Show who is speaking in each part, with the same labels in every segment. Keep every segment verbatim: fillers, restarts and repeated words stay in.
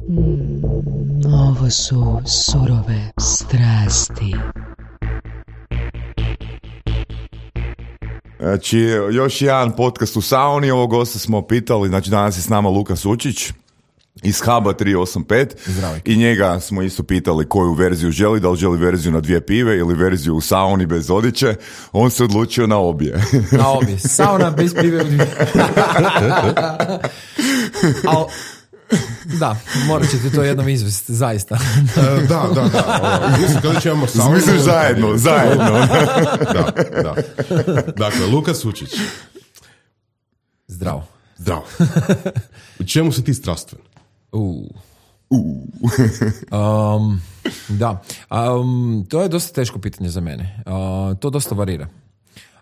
Speaker 1: Mm, ovo su surove strasti.
Speaker 2: Znači, još jedan podcast u sauni, ovog gosta smo pitali, znači danas je s nama Luka Sučić iz Haba tri osam pet.
Speaker 3: Zdravo.
Speaker 2: I njega smo isto pitali koju verziju želi, da li želi verziju na dvije pive ili verziju u sauni bez odjeće. On se odlučio na obje.
Speaker 3: Na obje, sauna bez pive u dvije. Al, da, morat ćete to jednom izvesti, zaista.
Speaker 4: Da, da, da. Mislim, kada će imamo saunu...
Speaker 2: Misliš zajedno, zajedno.
Speaker 4: Da, da. Dakle, Luka Sučić.
Speaker 3: Zdravo.
Speaker 4: Zdravo. U čemu si ti strastven?
Speaker 3: Uh. um, da, um, to je dosta teško pitanje za mene. Uh, to dosta varira.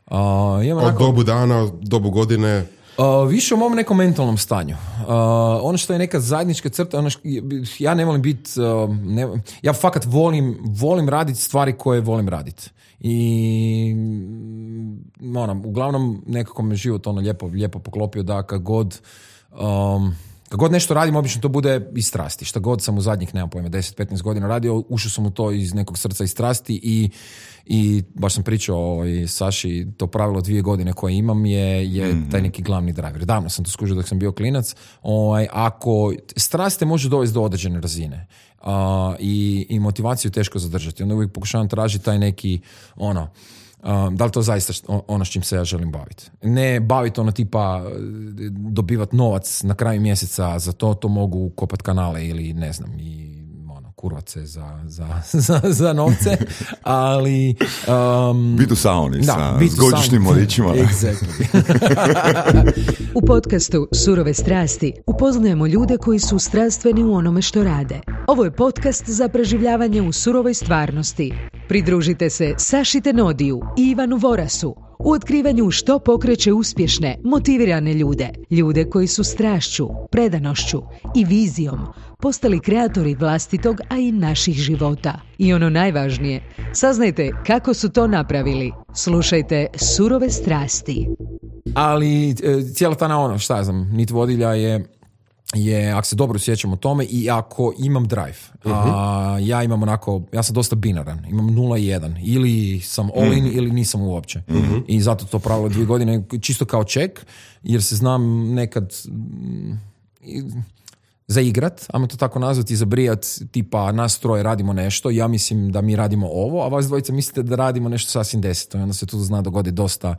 Speaker 3: Uh,
Speaker 4: Od onako, dobu dana, dobu godine...
Speaker 3: Uh, više o mom nekom mentalnom stanju. Uh, ono što je neka zajednička crta, ono što, ja ne volim biti, uh, ne, ja fakat volim, volim raditi stvari koje volim raditi. I ono, uglavnom nekako me život ono lijepo, lijepo poklopio da kad god um, kad god nešto radim, obično to bude iz strasti. Šta god sam u zadnjih, nemam pojma, deset petnaest godina radio, ušao sam u to iz nekog srca i strasti i, i baš sam pričao ovaj, Saši, to pravilo dvije godine koje imam je, je mm-hmm. taj neki glavni driver. Davno sam to skužio dok sam bio klinac. Ovaj, ako strast te može dovesti do određene razine uh, i, i motivaciju teško zadržati, onda uvijek pokušavam tražiti taj neki ono, Um, da li to zaista ono s čim se ja želim baviti. Ne baviti ono tipa dobivati novac na kraju mjeseca, za to to mogu kopati kanale ili ne znam i ono, kurvat se za, za, za, za novce, ali um,
Speaker 2: bit u sauni
Speaker 3: da,
Speaker 2: sa s godišnjim mladićima.
Speaker 3: Exactly.
Speaker 1: U podcastu Surove strasti upoznajemo ljude koji su strastveni u onome što rade. Ovo je podcast za preživljavanje u surovoj stvarnosti. Pridružite se Saši Tenodiju i Ivanu Vorasu u otkrivanju što pokreće uspješne, motivirane ljude. Ljude koji su strašću, predanošću i vizijom postali kreatori vlastitog, a i naših života. I ono najvažnije, saznajte kako su to napravili. Slušajte Surove strasti.
Speaker 3: Ali cijela ta na ono, šta ja znam, nit vodilja je je, ako se dobro sjećam o tome i ako imam drive, uh-huh. a, ja imam onako, ja sam dosta binaran, imam nula i jedan, ili sam all in uh-huh. ili nisam uopće. Uh-huh. I zato to pravilo dvije godine, čisto kao ček, jer se znam nekad mm, zaigrat, ajmo to tako nazvati, zabrijat, tipa nas troje radimo nešto, ja mislim da mi radimo ovo, a vas dvojica mislite da radimo nešto sasvim deseto i onda se tu zna dogodi dosta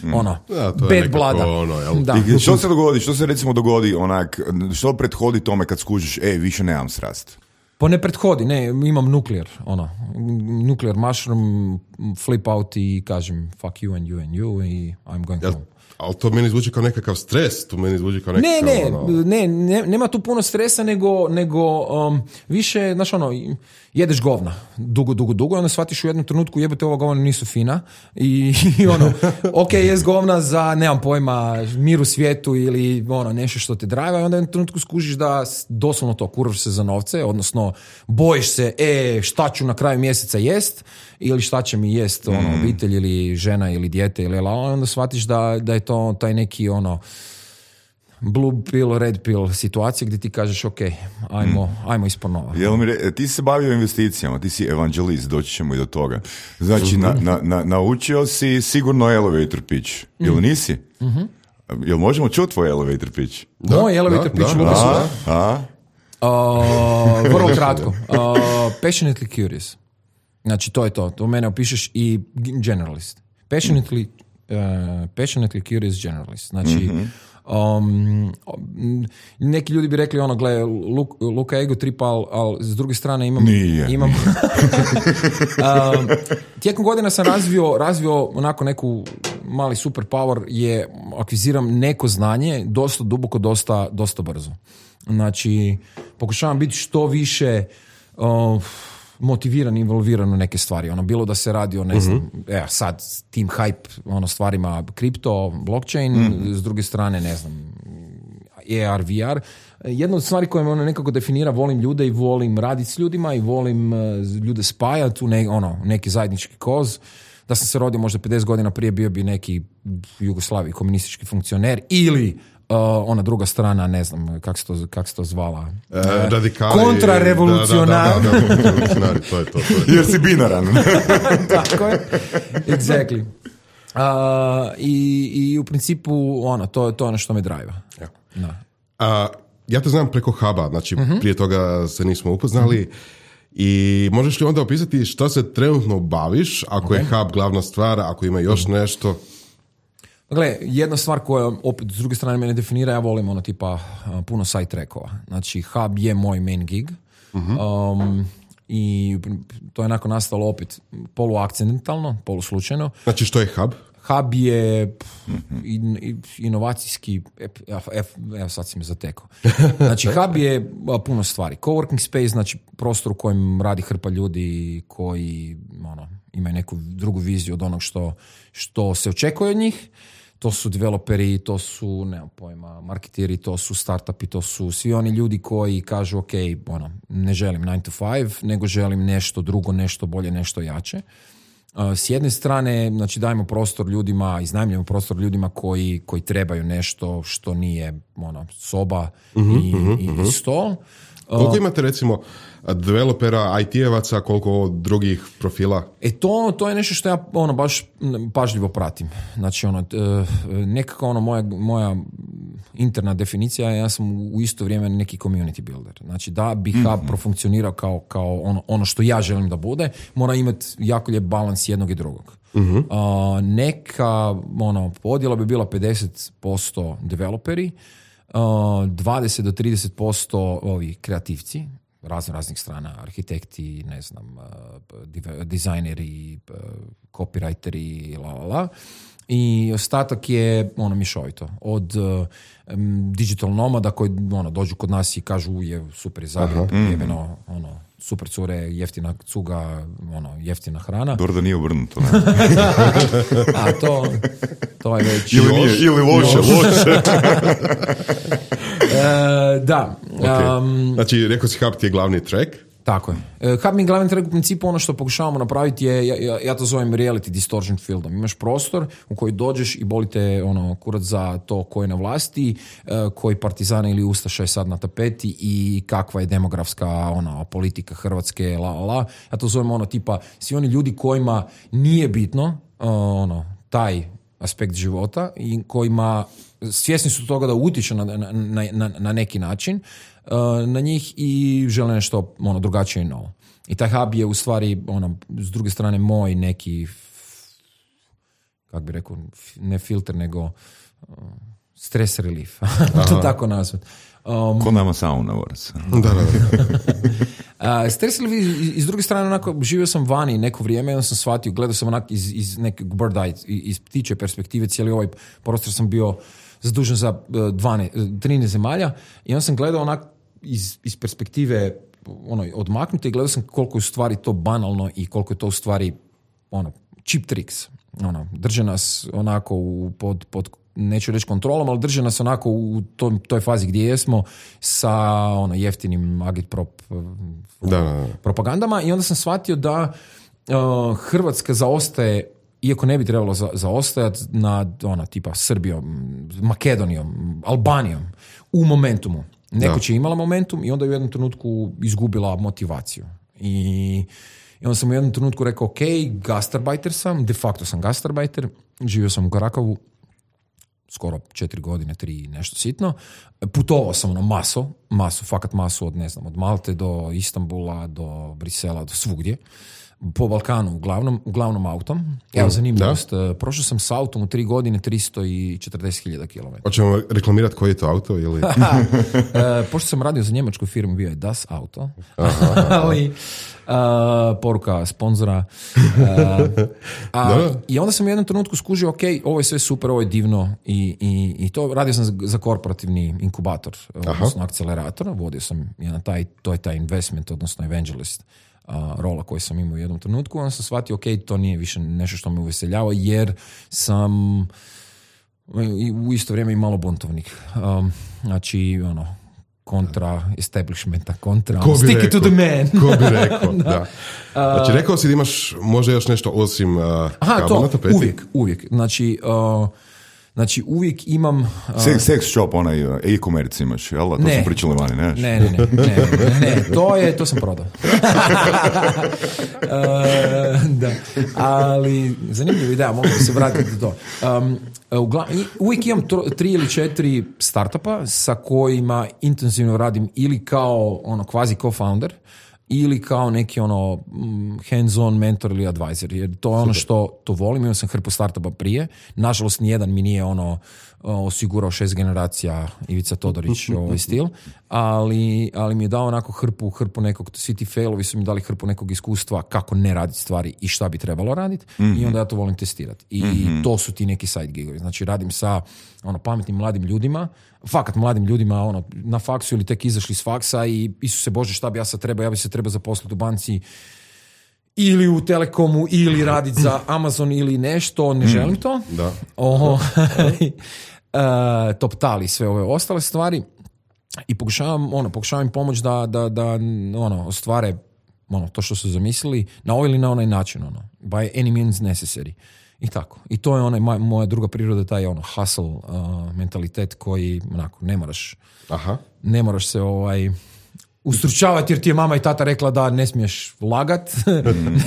Speaker 3: mm. ono,
Speaker 4: ja,
Speaker 3: bad blada.
Speaker 4: Ono,
Speaker 3: da.
Speaker 2: I što se dogodi, što se recimo dogodi onak, što prethodi tome kad skužiš, e, više nemam strast?
Speaker 3: Pa ne prethodi, ne, imam nuklear, ono, nuklear mushroom, flip out i kažem fuck you and you and you i I'm going
Speaker 4: ja,
Speaker 3: home.
Speaker 4: Ali to meni zvuči kao nekakav stres, to meni zvuči kao nekakav...
Speaker 3: Ne, ne,
Speaker 4: ono...
Speaker 3: ne, ne, nema tu puno stresa, nego, nego um, više, znaš ono, jedeš govna dugo, dugo, dugo i onda shvatiš u jednom trenutku jebote ova govna nisu fina i, i ono, ok, jest govna za, nemam pojma, mir u svijetu ili ono, nešto što te drajva i onda u jednom trenutku skužiš da doslovno to kurvaš se za novce, odnosno bojiš se, e, šta ću na kraju mjeseca jest ili šta će mi jest ono, obitelj ili žena ili dijete ili onda shvatiš da, da je to taj neki ono blue pill, red pill situacija gdje ti kažeš ok, ajmo, mm. ajmo ispod nova.
Speaker 2: Jel mi re, ti si se bavio investicijama, ti si evanđelist, doći ćemo i do toga. Znači, na, na, na, naučio si sigurno elevator pitch, jel mm. nisi? Mm-hmm. Jel možemo čuti tvoj elevator pitch?
Speaker 3: Da, Moj elevator
Speaker 4: da,
Speaker 3: pitch,
Speaker 4: da,
Speaker 3: Lukas.
Speaker 2: A, a?
Speaker 3: Uh, vrlo kratko. Uh, passionately curious. Znači, to je to. To mene opišeš i generalist. Passionately, uh, passionately curious generalist. Znači, mm-hmm. Um, neki ljudi bi rekli ono, gle, Luka ego trip, ali al, s druge strane imam...
Speaker 2: Nije.
Speaker 3: imam um, tijekom godina sam razvio, razvio onako neku mali superpower je akviziram neko znanje dosta duboko, dosta, dosta brzo. Znači, pokušavam biti što više... Uh, motiviran, involviran u neke stvari. Ono, bilo da se radi o, ne znam, uh-huh. evo, sad, team hype, ono, stvarima kripto, blockchain, uh-huh. s druge strane, ne znam, A R, V R. Jedna od stvari koje me ono nekako definira, volim ljude i volim raditi s ljudima i volim uh, ljude spajati u ne, ono, neki zajednički koz. Da sam se rodio možda pedeset godina prije, bio bi neki Jugoslaviji komunistički funkcioner ili ona druga strana, ne znam kako se to, kak se to zvala.
Speaker 4: E, radikali.
Speaker 3: Kontrarevolucionari.
Speaker 4: Da, da, da, da, revolucionari, to je to. to je.
Speaker 2: Jer si binaran.
Speaker 3: Tako je. Exactly. Uh, i, I u principu, ono, to, to je ono što me drive.
Speaker 4: Ja.
Speaker 3: Da.
Speaker 4: A, ja te znam preko huba, znači uh-huh. prije toga se nismo upoznali. Uh-huh. I možeš li onda opisati što se trenutno baviš, ako okay. je hub glavna stvar, ako ima još uh-huh. nešto?
Speaker 3: Gle, jedna stvar koja opet s druge strane mene definira, ja volim ono tipa uh, puno side trackova. Znači hub je moj main gig. Uh-huh. Um, i to je onako nastalo opet poluakcidentalno, poluslučajno.
Speaker 4: Znači što je hub?
Speaker 3: Hub je in, inovacijski, evo sad si me zatekao. Znači hub je puno stvari. Coworking space, znači prostor u kojem radi hrpa ljudi koji ono, imaju neku drugu viziju od onog što, što se očekuje od njih. To su developeri, to su, nemam pojma, marketiri, to su startupi, to su svi oni ljudi koji kažu ok, ono, ne želim nine to five, nego želim nešto drugo, nešto bolje, nešto jače. S jedne strane, znači dajemo prostor ljudima, iznajmljujemo prostor ljudima koji, koji trebaju nešto što nije ono, soba uh-huh, i, uh-huh. i stol.
Speaker 4: Koliko imate recimo developera, I T-evaca, koliko drugih profila?
Speaker 3: E to, to je nešto što ja ono, baš pažljivo pratim. Znači ono, nekako ono moja, moja interna definicija, ja sam u isto vrijeme neki community builder. Znači da bi hub mm-hmm. profunkcionirao kao, kao ono, ono što ja želim da bude, mora imati jako lijep balans jednog i drugog. Mm-hmm. Uh, neka ono, podjela bi bila pedeset posto developeri, uh, dvadeset do trideset posto ovi kreativci, razno raznih strana, arhitekti, ne znam, uh, dizajneri, uh, copywriteri, la la la. I ostatak je ono mišovito. Od uh, um, digital nomada koji ono, dođu kod nas i kažu je super je Zagreb, mm. jebeno, ono, super cure, jeftina cuga, ono, jeftina hrana.
Speaker 2: Dobro da nije obrnuto. Ne?
Speaker 3: A to, to je već...
Speaker 2: Ili, nije, ili loše, loše.
Speaker 3: e, da.
Speaker 4: Okay.
Speaker 3: Um,
Speaker 4: znači, rekao si hub ti je glavni track.
Speaker 3: Tako je. Hub mi glavni track u principu ono što pokušavamo napraviti je, ja, ja to zovem reality distortion fieldom. Imaš prostor u koji dođeš i boli te ono, kurac za to ko je na vlasti, koji partizani ili ustaša je sad na tapeti i kakva je demografska ona, politika Hrvatske, la, la, la. Ja to zovem ono tipa, svi oni ljudi kojima nije bitno ono, taj aspekt života i kojima svjesni su toga da utječe na, na, na, na neki način na njih i žele nešto ono, drugačije i novo. I taj hub je u stvari ono, s druge strane moj neki kako bi rekao, ne filter nego uh, stress relief. To tako nazvat. Um,
Speaker 2: Ko nama sauna vorac.
Speaker 4: Da, da,
Speaker 3: da. uh, stres relief i, i s druge strane onako, živio sam vani neko vrijeme i onda sam shvatio, gledao sam onako iz, iz nekog bird eye, iz ptiče perspektive, cijeli ovaj prostor sam bio zadužen za trinaest zemalja i onda sam gledao onak iz, iz perspektive ono, odmaknute i gledao sam koliko je u stvari to banalno i koliko je to u stvari ono, cheap tricks. Ono, drže nas onako u, pod, pod, neću reći kontrolom, ali drže nas onako u toj, toj fazi gdje jesmo sa ono, jeftinim agitprop
Speaker 4: da, da, da.
Speaker 3: propagandama i onda sam shvatio da uh, Hrvatska zaostaje, iako ne bi trebalo za, zaostajati nad ona, tipa Srbijom, Makedonijom, Albanijom u momentumu. Neko će imala momentum i onda je u jednom trenutku izgubila motivaciju. I, i onda sam u jednom trenutku rekao, ok, gastarbajter sam, de facto sam gastarbajter, živio sam u Karakavu, skoro četiri godine, tri nešto sitno. Putovao sam ono maso, masu, fakat masu od, ne znam, od Malte do Istanbula, do Brisela, do svugdje. Po Balkanu, uglavnom, uglavnom autom. Evo, zanimljivost. Prošao sam s autom u tri godine tristo četrdeset hiljada kilometara.
Speaker 4: Hoćemo reklamirati koji je to auto? Ili?
Speaker 3: e, pošto sam radio za njemačku firmu, bio je Das Auto. Aha, ali uh, poruka sponzora. Uh, a, I onda sam u jednom trenutku skužio, ok, ovo je sve super, ovo je divno. I, i, i to radio sam za, za korporativni inkubator, Aha. odnosno akcelerator. Vodio sam jedan taj, to je taj investment, odnosno evangelist. Uh, rola koju sam imao u jednom trenutku, onda sam shvatio, ok, to nije više nešto što me uveseljava, jer sam u isto vrijeme i malo buntovnik. Um, znači, ono, kontra establishmenta, kontra
Speaker 4: Ko bi
Speaker 3: stick
Speaker 4: rekao,
Speaker 3: it to the man.
Speaker 4: Ko bi rekao, da. da. Znači, rekao si da imaš možda još nešto osim uh,
Speaker 3: Aha,
Speaker 4: kaba na
Speaker 3: to,
Speaker 4: tapeti?
Speaker 3: uvijek, uvijek. Znači, uh, Znači, uvijek imam... Uh,
Speaker 2: sex, sex shop, onaj e-commerce imaš, jel? To
Speaker 3: ne.
Speaker 2: smo pričali vani, ne?
Speaker 3: Ne, ne, ne, ne, ne, ne, to je, to sam prodao. uh, da, ali zanimljiva ideja, mogu se vratiti do to. Um, ugla, uvijek imam tro, tri ili četiri startupa sa kojima intenzivno radim ili kao ono kvazi co-founder, ili kao neki ono hands-on mentor ili advisor, jer to je ono što to volim. Imao sam hrpu startupa prije, nažalost nijedan mi nije ono osigurao šest generacija Ivica Todorić ovaj stil, ali, ali mi je dao onako hrpu, hrpu nekog, svi ti failovi su mi dali hrpu nekog iskustva kako ne raditi stvari i šta bi trebalo raditi, mm-hmm. i onda ja to volim testirati. I mm-hmm. to su ti neki side gigovi. Znači radim sa ono pametnim mladim ljudima, fakat mladim ljudima ono, na faksu ili tek izašli s faksa i Isuse Bože šta bi ja sad trebao, ja bi se trebao zaposliti u banci ili u Telekomu ili raditi za Amazon ili nešto, ne želim to.
Speaker 4: Da.
Speaker 3: Oh, uh, top tali sve ove ostale stvari i pokušavam, ono, pokušavam im pomoći da, da, da ono, ostvare ono, to što su zamislili na ovaj ili na onaj način, ono, by any means necessary. I tako. I to je onaj, moja druga priroda, taj ono hustle uh, mentalitet koji onako, ne moraš
Speaker 4: Aha. ne
Speaker 3: moraš se ovaj ustručavati jer ti je mama i tata rekla da ne smiješ lagat.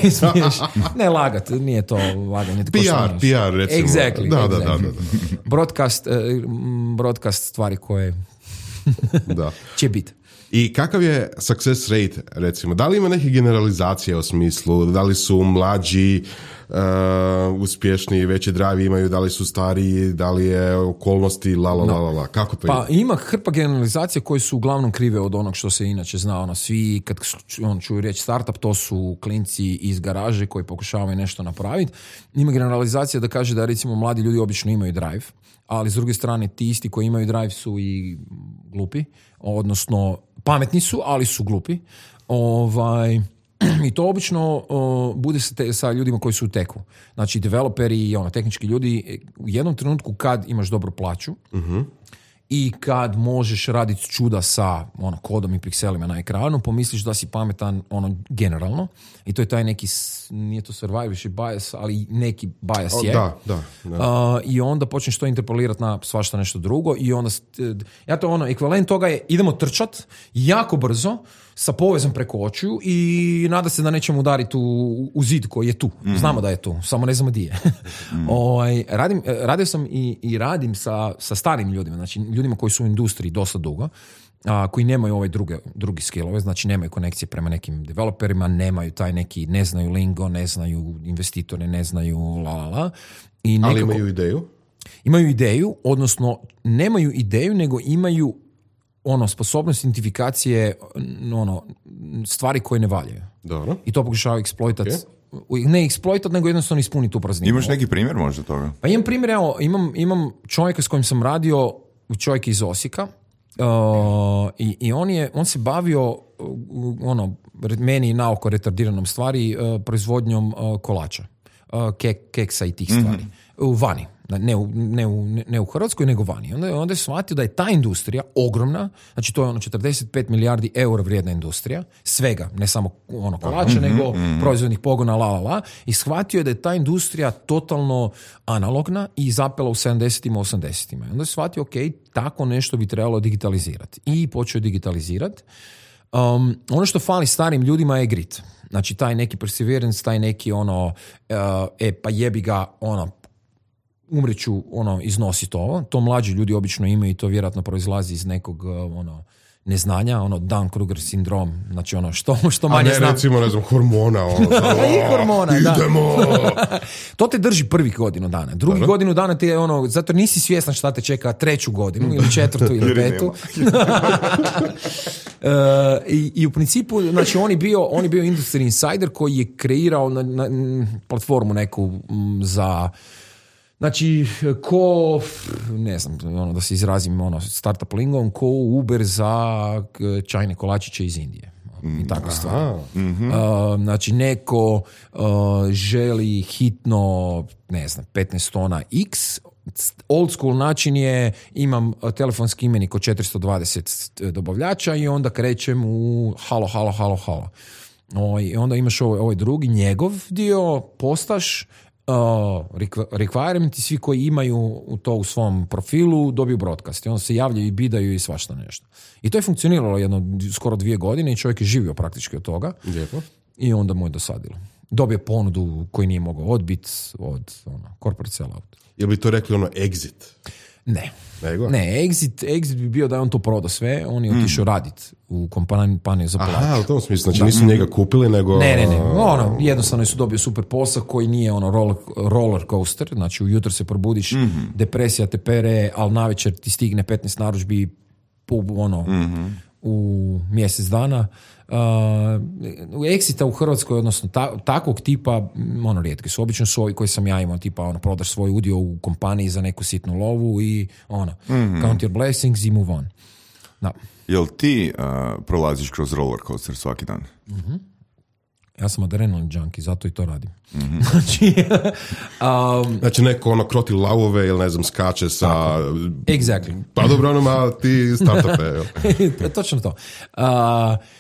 Speaker 3: ne smiješ, ne lagat, nije to laganje.
Speaker 4: P R, P R recimo.
Speaker 3: Exactly.
Speaker 4: Da,
Speaker 3: exactly.
Speaker 4: da, da, da.
Speaker 3: Broadcast, uh, broadcast stvari koje
Speaker 4: da.
Speaker 3: će biti.
Speaker 4: I kakav je success rate, recimo? Da li ima neke generalizacije u smislu? Da li su mlađi uh, uspješni, veće drive imaju, da li su stariji, da li je okolnosti, la la la la la. Kako to
Speaker 3: pa
Speaker 4: ima?
Speaker 3: Ima hrpa generalizacije koje su uglavnom krive od onog što se inače zna. Ono, svi, kad on čuju riječ startup, to su klinci iz garaže koji pokušavaju nešto napraviti. Ima generalizacija da kaže da recimo mladi ljudi obično imaju drive, ali s druge strane ti isti koji imaju drive su i glupi, odnosno pametni su, ali su glupi. Ovaj, i to obično o, bude se te, sa ljudima koji su u teku. Znači, developeri i ono, tehnički ljudi, u jednom trenutku kad imaš dobru plaću uh-huh. i kad možeš raditi čuda sa ono, kodom i pikselima na ekranu, pomisliš da si pametan ono, generalno. I to je taj neki, nije to survivorship bias, ali neki bias
Speaker 4: o,
Speaker 3: je.
Speaker 4: Da, da. da.
Speaker 3: Uh, I onda počneš to interpolirati na svašta nešto drugo i onda, ja to ono, ekvivalent toga je idemo trčat jako brzo sa povezom preko očiju i nada se da nećemo udariti u, u zid koji je tu. Mm. Znamo da je tu, samo ne znamo di je. mm. o, radim, radio sam i, i radim sa, sa starim ljudima, znači ljudima koji su u industriji dosta dugo, a, koji nemaju ove druge, drugi skillove, znači nemaju konekcije prema nekim developerima, nemaju taj neki, ne znaju lingo, ne znaju investitore, ne znaju la la la. I nekako,
Speaker 4: ali imaju ideju?
Speaker 3: Imaju ideju, odnosno nemaju ideju, nego imaju ono, sposobnost identifikacije ono, stvari koje ne valjaju.
Speaker 4: Dobro.
Speaker 3: I to pokušava eksploitat.
Speaker 4: Okay.
Speaker 3: Ne eksploitat, nego jednostavno ispuniti tu prazninu.
Speaker 2: Imaš neki primjer možda toga?
Speaker 3: Pa imam primjer, evo, imam, imam čovjeka s kojim sam radio, čovjek iz Osijeka, uh, i, i on, je, on se bavio uh, ono, meni naoko retardiranom stvari, uh, proizvodnjom uh, kolača, uh, kek, keksa i tih stvari. Mm-hmm. U vani. Ne u, ne, u, ne u Hrvatskoj, nego vani. Onda, onda je shvatio da je ta industrija ogromna, znači to je ono četrdeset pet milijardi eura vrijedna industrija, svega, ne samo ono kolača, mm-hmm, nego mm-hmm. proizvodnih pogona, la la la, i shvatio je da je ta industrija totalno analogna i zapela u sedamdesetima, osamdesetima. Onda je shvatio, ok, tako nešto bi trebalo digitalizirati. I počeo digitalizirati. Um, ono što fali starim ljudima je grit. Znači taj neki perseverance, taj neki ono, uh, e pa jebi ga, ono, umreću, ono, iznositi ovo. To mlađi ljudi obično imaju i to vjerojatno proizlazi iz nekog, ono, neznanja, ono, Dunning-Kruger sindrom, znači ono, što, što manje znam.
Speaker 4: A ne, recimo, ne znam, hormona, ono,
Speaker 3: i hormona, da.
Speaker 4: Idemo!
Speaker 3: To te drži prvih godinu dana. Drugi Dobro. godinu dana ti je ono, zato nisi svjestan šta te čeka treću godinu, ili četvrtu, ili petu. uh, i, I u principu, znači, on je bio, on je bio industry insider koji je kreirao na, na, platformu neku m, za... Znači, ko, ne znam, ono, da se izrazim ono, startup lingom, ko Uber za čajne kolačiće iz Indije. I tako stvar. Mm-hmm. Uh, znači, neko uh, želi hitno, ne znam, petnaest tona X. Old school način je, imam telefonski imenik od četiristo dvadeset dobavljača i onda krećem u halo, halo, halo, halo. O, i onda imaš ovaj, ovaj drugi, njegov dio, postaš, requirement i svi koji imaju to u svom profilu dobiju broadcast i onda se javljaju i bidaju i svašta nešto. I to je funkcioniralo jedno skoro dvije godine i čovjek je živio praktički od toga.
Speaker 4: Lijepo.
Speaker 3: I onda mu je dosadilo. Dobio ponudu koju nije mogao odbiti od ono, corporate sellout.
Speaker 4: Jel bi to rekli ono exit?
Speaker 3: Ne.
Speaker 4: Nego?
Speaker 3: Ne, exit, exit bi bio da je on to prodao sve, on je otišao mm. raditi u kompaniju za plaću.
Speaker 4: Aha, u tom smislu, znači da. Nisu njega kupili, nego...
Speaker 3: Ne, ne, ne, ono, jednostavno su dobio super posao koji nije ono roller, roller coaster, znači ujutro se probudiš, mm-hmm. depresija te pere, ali navečer ti stigne petnaest narudžbi pub, ono, mm-hmm. u mjesec dana. Uh, exita u Hrvatskoj, odnosno ta, takvog tipa, ono, rijetki su. Obično su ovi koji sam ja imao, tipa, ono, prodaš svoj udio u kompaniji za neku sitnu lovu i, ono, mm-hmm. count your blessings i move on. Da.
Speaker 2: Jel ti uh, prolaziš kroz roller coaster svaki dan?
Speaker 3: Mhm. Ja sam adrenalin junkie, zato i to radim. Mm-hmm. Znači, um,
Speaker 4: znači neko ono kroti lavove ili ne znam skače sa...
Speaker 3: Exactly.
Speaker 4: Pa dobro, ono ma ti startupe.
Speaker 3: Točno to. Uh,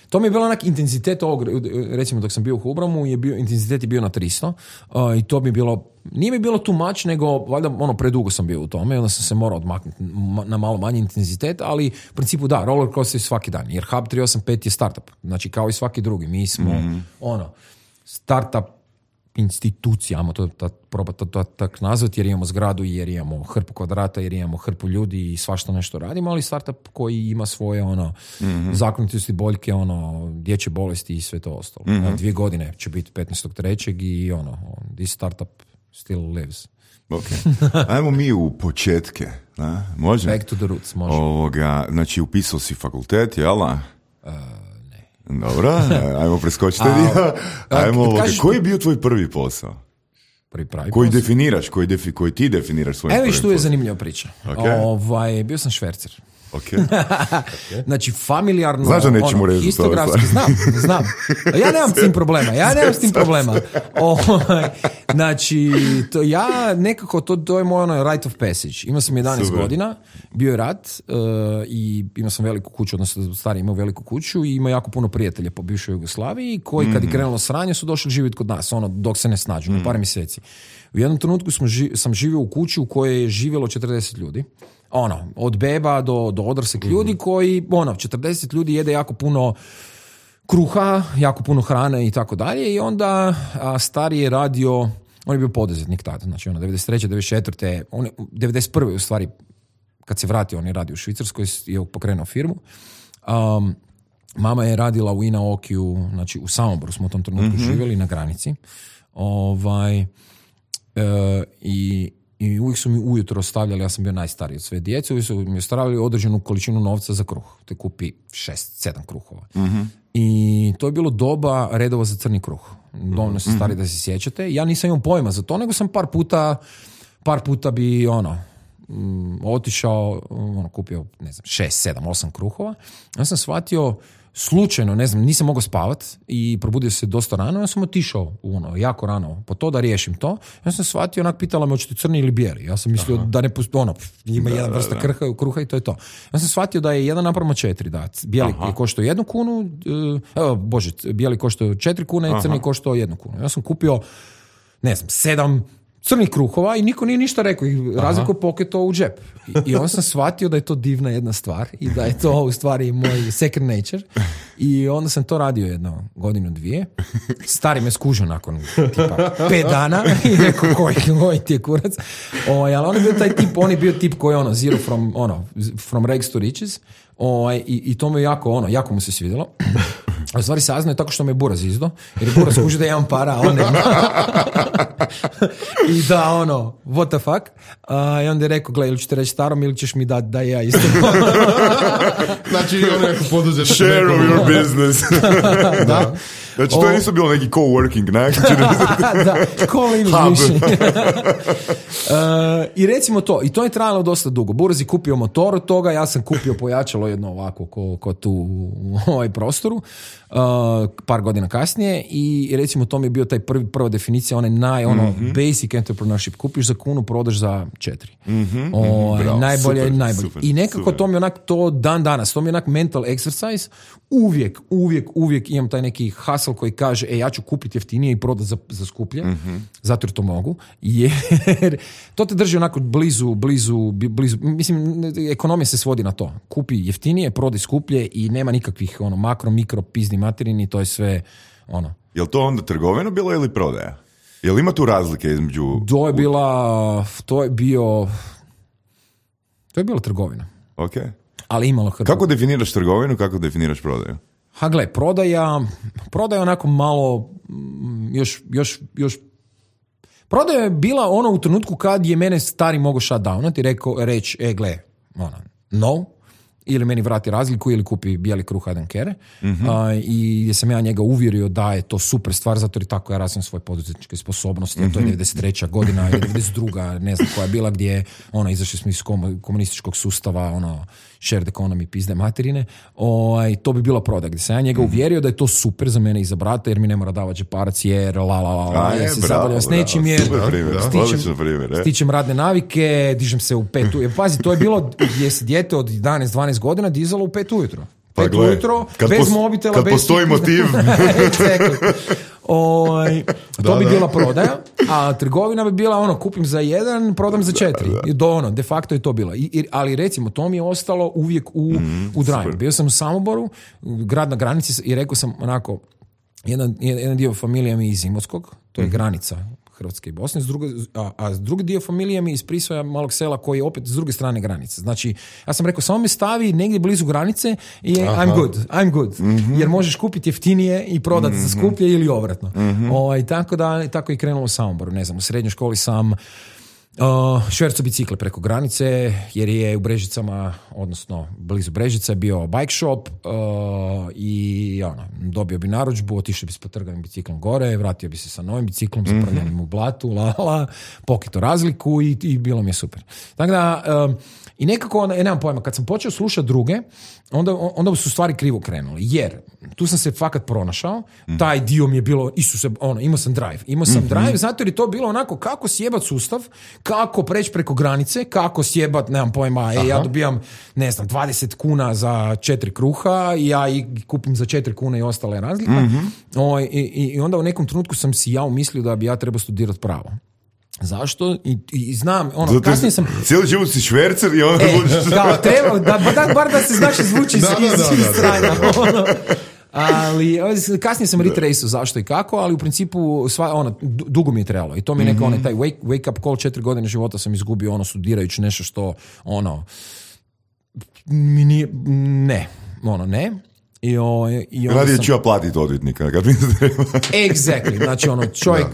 Speaker 3: to mi je bilo onak intenzitet ovog, recimo dok sam bio u Hubramu, je bio, intenzitet je bio na tristo uh, i to mi bilo, nije mi bilo too much, nego valjda ono predugo sam bio u tome, onda sam se morao odmaknuti na malo manji intenzitet, ali u principu da, roller coaster svaki dan, jer Hub tri osam pet je startup, znači kao i svaki drugi, mi smo mm-hmm. ono, startup institucija, ajmo to probati to, to, to tak nazvati, jer imamo zgradu, jer imamo hrpu kvadrata, jer imamo hrpu ljudi i svašta nešto radimo, ali startup koji ima svoje ono mm-hmm. zakonitosti, boljke, ono dječje bolesti i sve to ostalo. Mm-hmm. Dvije godine će biti petnaestog trećeg i ono, this startup still lives.
Speaker 2: Okay. Ajmo mi u početke. Da? Može?
Speaker 3: Back to the roots, može.
Speaker 2: Ovoga, znači upisao si fakultet, jel?
Speaker 3: Uh,
Speaker 2: Dobro, ajmo preskočiti dio. Ajmo, ovoga, koji je bio tvoj prvi posao?
Speaker 3: Prvi pravi
Speaker 2: koji
Speaker 3: posao?
Speaker 2: definiraš, koji, defi, koji ti definiraš svojim
Speaker 3: Evo
Speaker 2: prvim
Speaker 3: što je
Speaker 2: posao.
Speaker 3: zanimljiva priča.
Speaker 2: Okay.
Speaker 3: Ovaj, bio sam švercer.
Speaker 2: Okay.
Speaker 3: Okay. Znači, familijarno...
Speaker 2: Znaš da nećemo
Speaker 3: ono,
Speaker 2: rezati ove
Speaker 3: stvari. Znam, znam. Ja nemam s tim problema. Ja nemam s tim problema. O, znači, to ja nekako, to, to je moj ono rite of passage. Imao sam jedanaest Super. godina, bio je rat uh, i imao sam veliku kuću, odnosno stari imao veliku kuću i imao jako puno prijatelja po bivšoj Jugoslaviji koji mm-hmm. kad je krenulo sranje su došli živjeti kod nas, ono, dok se ne snađu, mm-hmm. na par mjeseci. U jednom trenutku smo ži, sam živio u kući u kojoj je živjelo četrdeset ljudi. Ono, od beba do, do odraslih mm-hmm. ljudi koji, ono, četrdeset ljudi jede jako puno kruha, jako puno hrane i tako dalje i onda a, stari je radio, on je bio poduzetnik tada, znači ono, devedeset treće devedeset četvrte on je, devedeset prve u stvari, kad se vratio, on je radio u Švicarskoj, je pokrenuo firmu. Um, mama je radila u Inaokiju, znači u Samoboru smo u tom trenutku mm-hmm. živjeli na granici. Ovaj, e, i I uvijek su mi ujutro ostavljali, ja sam bio najstariji od sve djece, uvijek su mi ostavljali određenu količinu novca za kruh. Te kupi šest, sedam kruhova. Mm-hmm. I to je bilo doba redova za crni kruh. Dovoljno se stari mm-hmm. da se sjećate. Ja nisam imao pojma za to, nego sam par puta, par puta bi ono, um, otišao, ono, kupio, ne znam, šest, sedam, osam kruhova. Ja sam shvatio, slučajno, ne znam, nisam mogao spavat i probudio se dosta rano, ja sam otišao ono, jako rano po to da riješim to. Ja sam shvatio, onak pitala me hoćete crni ili bijeli. Ja sam mislio Aha. da ne postoji, ono, ima da, jedan vrsta kruha, kruha i to je to. Ja sam shvatio da je jedan naprama četiri, da bijeli Aha. je koštao jednu kunu, evo, bože, bijeli koštao četiri kune, Aha. crni koštao jednu kunu. Ja sam kupio, ne znam, sedam crnih kruhova i niko nije ništa rekao i razliku poketo u džep. I, I on sam shvatio da je to divna jedna stvar i da je to u stvari moj second nature. I onda sam to radio jedno godinu, dvije. Stari me skužio nakon tipa pet dana i rekao koji, koji ti je kurac. O, ali on je bio taj tip, on je bio tip koji je ono, zero from, ono, from rags to riches. O, i, I to me jako, ono, jako mu se svidjelo. A u stvari saznao je tako što me Buraz izdo, jer je Buraz skužio da imam para, a on nema. I da, ono, what the fuck? Uh, I onda je rekao, gledaj, ili ću te reći starom ili ćeš mi dati da ja isto.
Speaker 4: Znači, ono je poduzet.
Speaker 2: Share of your business.
Speaker 3: Da.
Speaker 2: Znači, to nisu bilo neki co-working, ne?
Speaker 3: Da, co-living. uh, I recimo to, i to je trajalo dosta dugo. Buraz je kupio motor od toga, ja sam kupio pojačalo jedno ovako, ko, ko tu u ovaj prostoru, uh, par godina kasnije i recimo to mi je bio taj prvi, prva definicija, one naj, ono, mm-hmm. basic entrepreneurship. Kupiš za kunu, prodaš za četiri. Mm-hmm. O, Bravo, najbolje, super, najbolje. Super, I nekako super. To mi je onak, to dan danas, to mi je onak mental exercise. Uvijek, uvijek, uvijek imam taj neki hustle asshole koji kaže, e, ja ću kupiti jeftinije i prodati za, za skuplje, mm-hmm. zato jer to mogu, jer to te drži onako blizu, blizu, blizu, mislim, ekonomija se svodi na to. Kupi jeftinije, prodaj skuplje i nema nikakvih ono, makro, mikro, pizni materini, to je sve ono.
Speaker 2: Je li to onda trgovina bilo ili prodaja? Je li ima tu razlike između...
Speaker 3: To je bila, to je bio, to je bila trgovina.
Speaker 2: Ok.
Speaker 3: Ali imalo hrpu.
Speaker 2: Kako definiraš trgovinu, kako definiraš prodaju?
Speaker 3: Ha gle, prodaja, prodaja onako malo, još, još, još, prodaja je bila ono u trenutku kad je mene stari mogao shutdownati i rekao, reći, e gle, ono, no, ili meni vrati razliku ili kupi bijeli kruh, I don't care. Mm-hmm. Uh, i gdje sam ja njega uvjerio da je to super stvar, zato jer tako ja razvijem svoje poduzetničke sposobnosti, mm-hmm. to je devedeset treća godina ili devedeset druga, ne znam koja je bila, gdje ono, izašli smo iz komunističkog sustava, ono, shared economy, pizde materine, o, i to bi bila prodaja, gdje sam ja njega uvjerio da je to super za mene i za brata, jer mi ne mora davati džeparac, jer la la la, la ja se zabavljam s nečim, jer stičem, stičem radne navike, dižem se u pet ujutro. Pazi, to je bilo gdje se dijete od jedanaest dvanaest godina dizalo u pet ujutro.
Speaker 2: Pa
Speaker 3: pet
Speaker 2: gle,
Speaker 3: ujutro,
Speaker 2: kad
Speaker 3: bez
Speaker 2: pos,
Speaker 3: mobitela,
Speaker 2: kad
Speaker 3: bez...
Speaker 2: postoji motiv.
Speaker 3: Exactly. Oj, to
Speaker 4: da,
Speaker 3: bi
Speaker 4: da.
Speaker 3: bila prodaja, a trgovina bi bila ono, kupim za jedan, prodam za četiri. Da, da. Do ono, de facto je to bilo. I, i, ali recimo, to mi je ostalo uvijek u, mm, u drive. Bio sam u Samoboru, grad na granici, i rekao sam onako, jedan, jedan dio familije mi iz Imotskog, to je mm. granica Hrvatske i Bosne, s druge, a, a drugi dio familije mi iz Prisvoja, malog sela, koji je opet s druge strane granice. Znači, ja sam rekao, samo me stavi negdje blizu granice i Aha. I'm good, I'm good. Mm-hmm. Jer možeš kupiti jeftinije i prodati mm-hmm. za skuplje ili obratno. Mm-hmm. O, i tako da, tako i krenulo u Samoboru. Ne znam, u srednjoj školi sam Uh, šverco bicikle preko granice, jer je u Brežicama, odnosno blizu Brežica, bio bike shop uh, i ono, dobio bi narudžbu, otišao bi s potrganim biciklom gore, vratio bi se sa novim biciklom, mm-hmm. zaprljanim u blatu, la, la, pokito razliku i, i bilo mi je super. Tako da, um, i nekako, ne, nemam pojma, kad sam počeo slušati druge, onda, onda su stvari krivo krenuli, jer tu sam se fakat pronašao, mm-hmm. taj dio mi je bilo, Isuse, ono, imao sam drive, imao sam mm-hmm. drive, zato jer je to bilo onako kako sjebat sustav, kako preći preko granice, kako sjebat, nemam pojma, e, ja dobijam, ne znam, dvadeset kuna za četiri kruha, i ja i kupim za četiri kune i ostale razlika. Mm-hmm. O, i, i onda u nekom trenutku sam si ja umislio da bi ja trebao studirati pravo. Zašto? I, i znam, ono, zato kasnije sam...
Speaker 2: Cijeli život si švercer i onda...
Speaker 3: E, kao, treba, da, da, bar da se znaš zvuči iz, iz, iz strana. Ono. Ali kasnije sam retraceao zašto i kako, ali u principu sva, ono, dugo mi je trebalo i to mi je neka, mm-hmm. onaj taj wake, wake up call, četiri godine života sam izgubio ono studirajući nešto što ono mi nije, ne, ono ne. I o, i
Speaker 2: radije
Speaker 3: sam...
Speaker 2: ću ja platiti odvjetnika kad mi se treba.
Speaker 3: Exactly, znači ono čovjek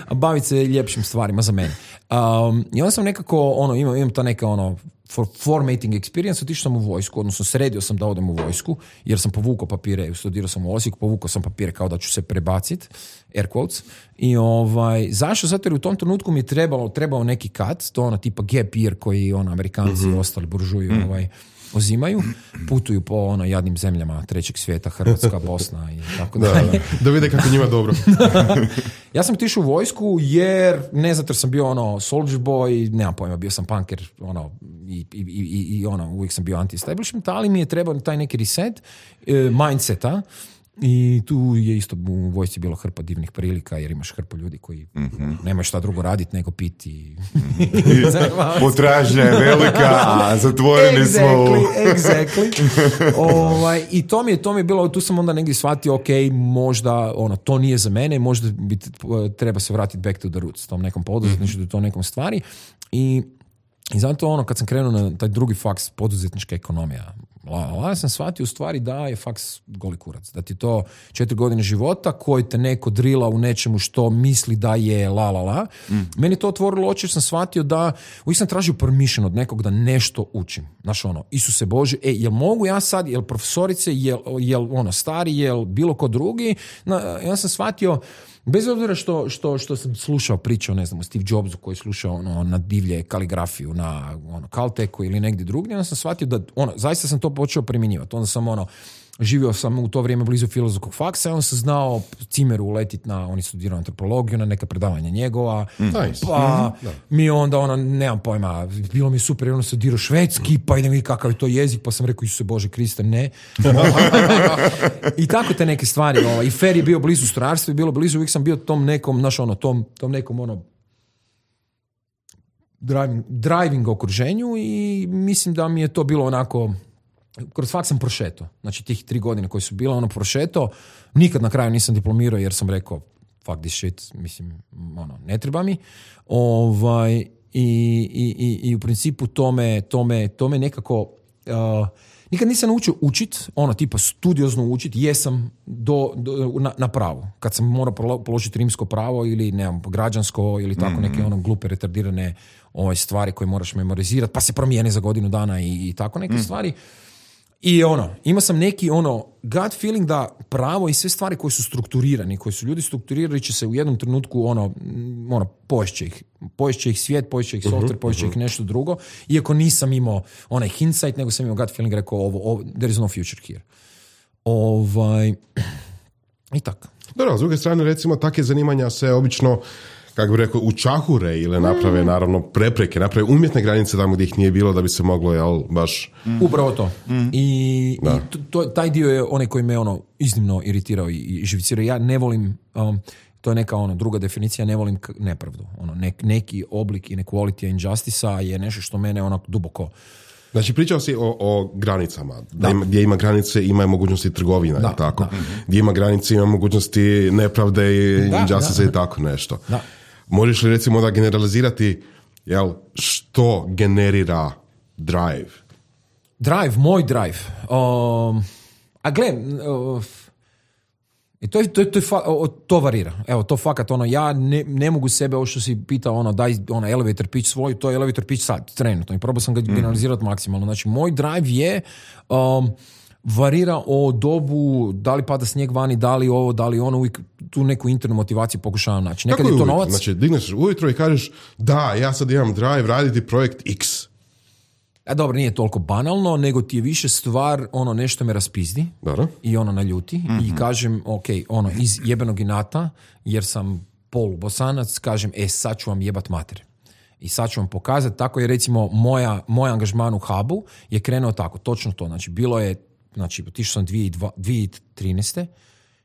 Speaker 3: a baviti se ljepšim stvarima za mene. Um, I onda sam nekako ono, imam, imam ta neka ono for formatting experience, otišao sam u vojsku, odnosno sredio sam da odem u vojsku, jer sam povukao papire, studirao sam u Osijeku, povukao sam papire kao da ću se prebaciti, air quotes, i ovaj, zašto? Zato jer u tom trenutku mi je trebalo, trebao neki cut, to ono tipa gap year koji ono, Amerikanci mm-hmm. i ostali buržuji mm-hmm. ovaj, uzimaju, putuju po ono jadnim zemljama trećeg svijeta, Hrvatska, Bosna i tako
Speaker 4: da,
Speaker 3: dalje.
Speaker 4: Da, da vide kako njima dobro.
Speaker 3: Ja sam otišao u vojsku jer, ne zato jer sam bio ono soldier boy, nemam pojma, bio sam punker, ono, i, i, i, i ono, uvijek sam bio anti-establishment, ali mi je trebao taj neki reset uh, mindseta. I tu je isto u vojsci bilo hrpa divnih prilika, jer imaš hrpu ljudi koji mm-hmm. nemaju šta drugo raditi nego piti.
Speaker 2: Potražnja je velika, a zatvoreni
Speaker 3: exactly,
Speaker 2: smo.
Speaker 3: Exactly. ovaj, I to mi, je, to mi je bilo, tu sam onda negdje shvatio, ok, možda ono, to nije za mene, možda bi, treba se vratiti back to the roots, tom nekom poduzetništvu, mm-hmm. tom nekom stvari. I, i zato ono, kad sam krenuo na taj drugi faks, poduzetnička ekonomija, La, la, sam shvatio u stvari da je faks goli kurac. Da ti to četiri godine života koji te neko drila u nečemu što misli da je la la la. Mm. Meni to otvorilo oči jer sam shvatio da uvijek sam tražio permission od nekog da nešto učim. Znaš ono, Isuse Bože, e, jel mogu ja sad, jel profesorice, jel, jel ono stari, jel bilo ko drugi? Na, ja sam shvatio, bez obzira što, što, što sam slušao pričao, ne znam, o Steve Jobsu koji je slušao ono, na divlje kaligrafiju, na ono, Caltechu ili negdje drugdje, onda sam shvatio da, ono, zaista sam to počeo primjenjivati. Onda sam ono, živio sam u to vrijeme blizu filozofskog faksa i on sam znao Cimeru uletiti na, on je studirao antropologiju, na neka predavanja njegova,
Speaker 4: mm. nice.
Speaker 3: pa mm-hmm. mi onda, ono, nemam pojma, bilo mi super, ono se dirao švedski, pa idem vidjeti kakav je to jezik, pa sam rekao, Isuse Bože Kriste, ne. I tako te neke stvari, ovaj. I Fer je bio blizu strojarstva i bilo blizu, uvijek sam bio tom nekom, znaš, ono, tom, tom nekom, ono, driving, driving okruženju i mislim da mi je to bilo onako, kroz fakt sam prošeto. Znači tih tri godine koje su bile, ono, prošeto, nikad na kraju nisam diplomirao jer sam rekao fuck this shit, mislim, ono, ne treba mi. Ovaj, i, i, i, i u principu tome, tome, tome nekako uh, nikad nisam naučio učit, ono, tipa studiozno učit, jesam do, do, na, na pravo. Kad sam morao položiti rimsko pravo ili, nemam, građansko ili tako neke ono glupe, retardirane ove stvari koje moraš memorizirati, pa se promijene za godinu dana i, i tako neke mm. stvari. I ono, imao sam neki ono gut feeling da pravo i sve stvari koje su strukturirani, koje su ljudi strukturirali će se u jednom trenutku ono, ono poješće ih. Poješće ih svijet, poješće ih software, poješće ih nešto drugo. Iako nisam imao onaj hindsight, nego sam imao gut feeling, rekao ovo, ovo there is no future here. Ovaj, i tako.
Speaker 4: Dobro, s druge strane, recimo, takve zanimanja se obično, kako bi rekao, učahure ili naprave, mm. naravno, prepreke, naprave umjetne granice tamo gdje ih nije bilo da bi se moglo, jel, baš...
Speaker 3: Mm. Upravo to. Mm. I, i to, taj dio je onaj koji me, ono, iznimno iritirao i, i živicirao. Ja ne volim, um, to je neka, ono, druga definicija, ne volim k- nepravdu. Ono, nek, neki oblik inequality injustice-a je nešto što mene, onako, duboko...
Speaker 4: Znači, pričao si o, o granicama. Da. Ima, gdje ima granice, ima mogućnosti trgovina, da, tako? Da. Gdje ima granice, ima mogućnosti nepravde i injustice i tako nešto. Da. Možeš li, recimo, da generalizirati, jel, što generira drive?
Speaker 3: Drive, moj drive. Um, a gle, uh, to, je, to, je, to, je fa, to varira. Evo, to fakat, ono, ja ne, ne mogu sebe, ovo što si pitao, ono, daj ono, elevator pitch svoj, to je elevator pitch sad, trenutno. I probao sam ga mm. generalizirati maksimalno. Znači, moj drive je... Um, varira o dobu, da li pada snijeg vani, da li ovo, da li ono, uvijek tu neku internu motivaciju pokušavam naći. Nekad je to novac.
Speaker 4: Znači, digneš ujutro i kažeš, da, ja sad imam drive raditi projekt X.
Speaker 3: A dobro, nije toliko banalno, nego ti je više stvar, ono, nešto me raspizdi.
Speaker 4: Dobro.
Speaker 3: I ono naljuti. Mm-hmm. I kažem, ok, ono, iz jebenog inata, jer sam polubosanac, kažem, e, sad ću vam jebat mater. I sad ću vam pokazati, tako je, recimo, moja, moj angažman u Hubu je krenuo tako, točno to. Znači, bilo je, znači, otišao sam dvije tisuće trinaeste.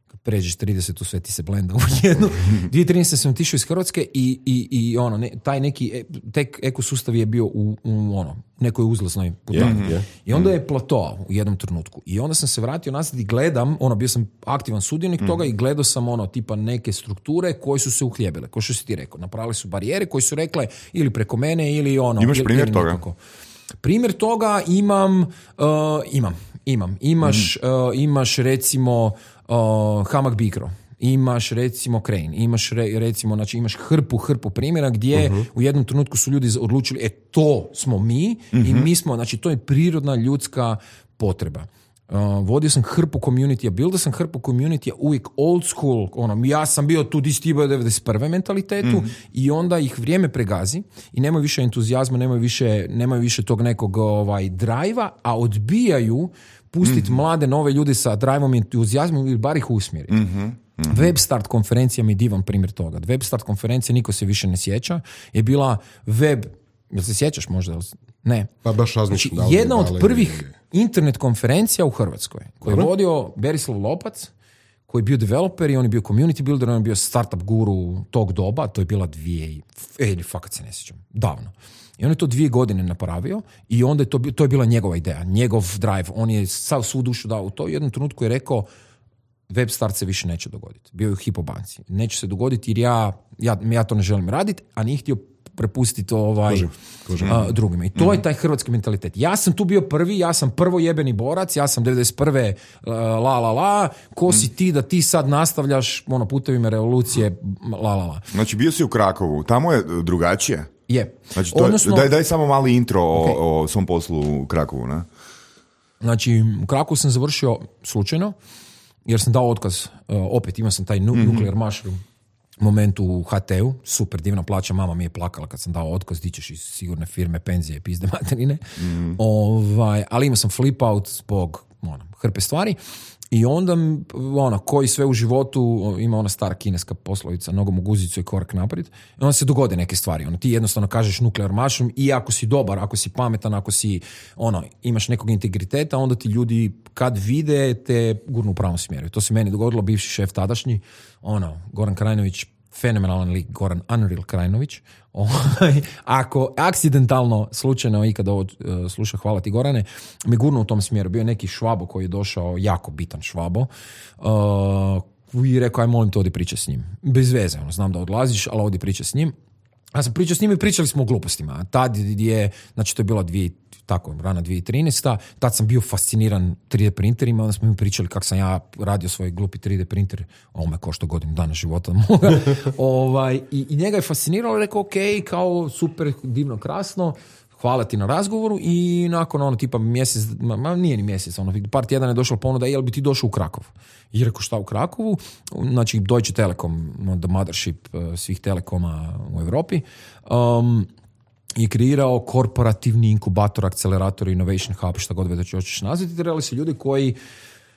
Speaker 3: Kad pređeš trideset, sve ti se blenda u jednu. dvije tisuće trinaeste sam otišao iz Hrvatske i, i, i ono, ne, taj neki, tek ekosustav je bio u, u ono, nekoj uzlaznoj putanji. Yeah, yeah. I onda je plato u jednom trenutku. I onda sam se vratio nazad i gledam, ono, bio sam aktivan sudionik mm. toga i gledao sam, ono, tipa neke strukture koje su se uhljebile. Ko što si ti rekao, napravili su barijere koje su rekle ili preko mene ili ono.
Speaker 2: Imaš
Speaker 3: ili,
Speaker 2: primjer
Speaker 3: ili
Speaker 2: toga?
Speaker 3: Nekako. Primjer toga imam, uh, imam, imam. Imaš, mm. uh, imaš recimo uh, Hamak Bikro, imaš recimo Crane, imaš re, recimo, znači imaš hrpu, hrpu primjera gdje uh-huh. u jednom trenutku su ljudi odlučili, e to smo mi uh-huh. i mi smo, znači to je prirodna ljudska potreba. Uh, vodio sam hrpu community-a, buildao sam hrpu community-a, uvijek old school, ono, ja sam bio tu di si ti bio devedeset prve mentalitetu mm. i onda ih vrijeme pregazi i nemaju više entuzijazma, nemaju više, nemaju više tog nekog ovaj, drive-a, a odbijaju pustiti mm. mlade, nove ljude sa drive-om i entuzijazmom ili bar ih usmjeriti. Mm-hmm. Mm-hmm. Webstart konferencija mi je divan primjer toga. Webstart konferencija, niko se više ne sjeća, je bila web, jel se sjećaš možda? Ne.
Speaker 4: Pa baš razmišljam.
Speaker 3: Znači, jedna od prvih internet konferencija u Hrvatskoj koju je vodio Berislav Lopac, koji je bio developer i on je bio community builder, on je bio startup guru tog doba, to je bila dvije, ili fakat se ne sjećam, davno. I on je to dvije godine napravio i onda je to, to je bila njegova ideja, njegov drive, on je sav svu dušu dao u to i u jednom trenutku je rekao, web start se više neće dogoditi. Bio je u Hypo banci. Neće se dogoditi jer ja, ja, ja to ne želim raditi, a nije htio prepustiti ovaj, kožim, kožim. A, drugima. I to mm-hmm. je taj hrvatski mentalitet. Ja sam tu bio prvi, ja sam prvo jebeni borac, ja sam devedeset prve la la la, ko si ti da ti sad nastavljaš ono, putevima revolucije la la la.
Speaker 2: Znači bio si u Krakovu, tamo je drugačije?
Speaker 3: Je.
Speaker 2: Znači, to Odnosno, je, daj, daj samo mali intro okay. o, o svom poslu u Krakovu. Ne?
Speaker 3: Znači, u Krakovu sam završio slučajno, jer sam dao otkaz, uh, opet imao sam taj nu- mm-hmm. nuclear mushroom moment u ha te u, super divna plaća, mama mi je plakala kad sam dao otkaz, di ćeš iz sigurne firme, penzije, pizde materine. Mm-hmm. Ovaj, ali imao sam flip out zbog ono, hrpe stvari. I onda, ono, koji sve u životu, ima ona stara kineska poslovica, nogom u guzicu i korak naprijed, i onda se dogode neke stvari. Ono, ti jednostavno kažeš nuklear mushroom i ako si dobar, ako si pametan, ako si, ono, imaš nekog integriteta, onda ti ljudi kad vide te gurnu u pravom smjeru. To se meni dogodilo, bivši šef tadašnji, ono, Goran Krajnović, fenomenalan lik, Goran Unreal Krajnović. Ako akcidentalno, slučajno ikad ovo uh, sluša, hvala ti Gorane, me gurno u tom smjeru. Bio je neki Švabo koji je došao, jako bitan Švabo, uh, i rekao, aj molim te, odi priča s njim. Bez veze, ono, znam da odlaziš, ali odi priča s njim. Ja sam pričao s njim i pričali smo o glupostima. Tad je, znači to je bila dvije, tako, rana dvije tisuće trinaesta. Tad sam bio fasciniran tri D printerima, onda smo mi pričali kako sam ja radio svoj glupi tri D printer, ovo me košta godinu dana života moga. ovaj, i, I njega je fasciniralo, rekao, ok, kao super, divno, krasno, hvala ti na razgovoru i nakon ono tipa mjesec, ma nije ni mjesec, ono par tjedana je došla ponuda, jel bi ti došao u Krakov? I rekao, šta u Krakovu? Znači Deutsche Telekom, the mothership svih telekoma u Europi, um, je kreirao korporativni inkubator, akcelerator, innovation hub, šta god već hoćeš nazvati, trebali su ljudi koji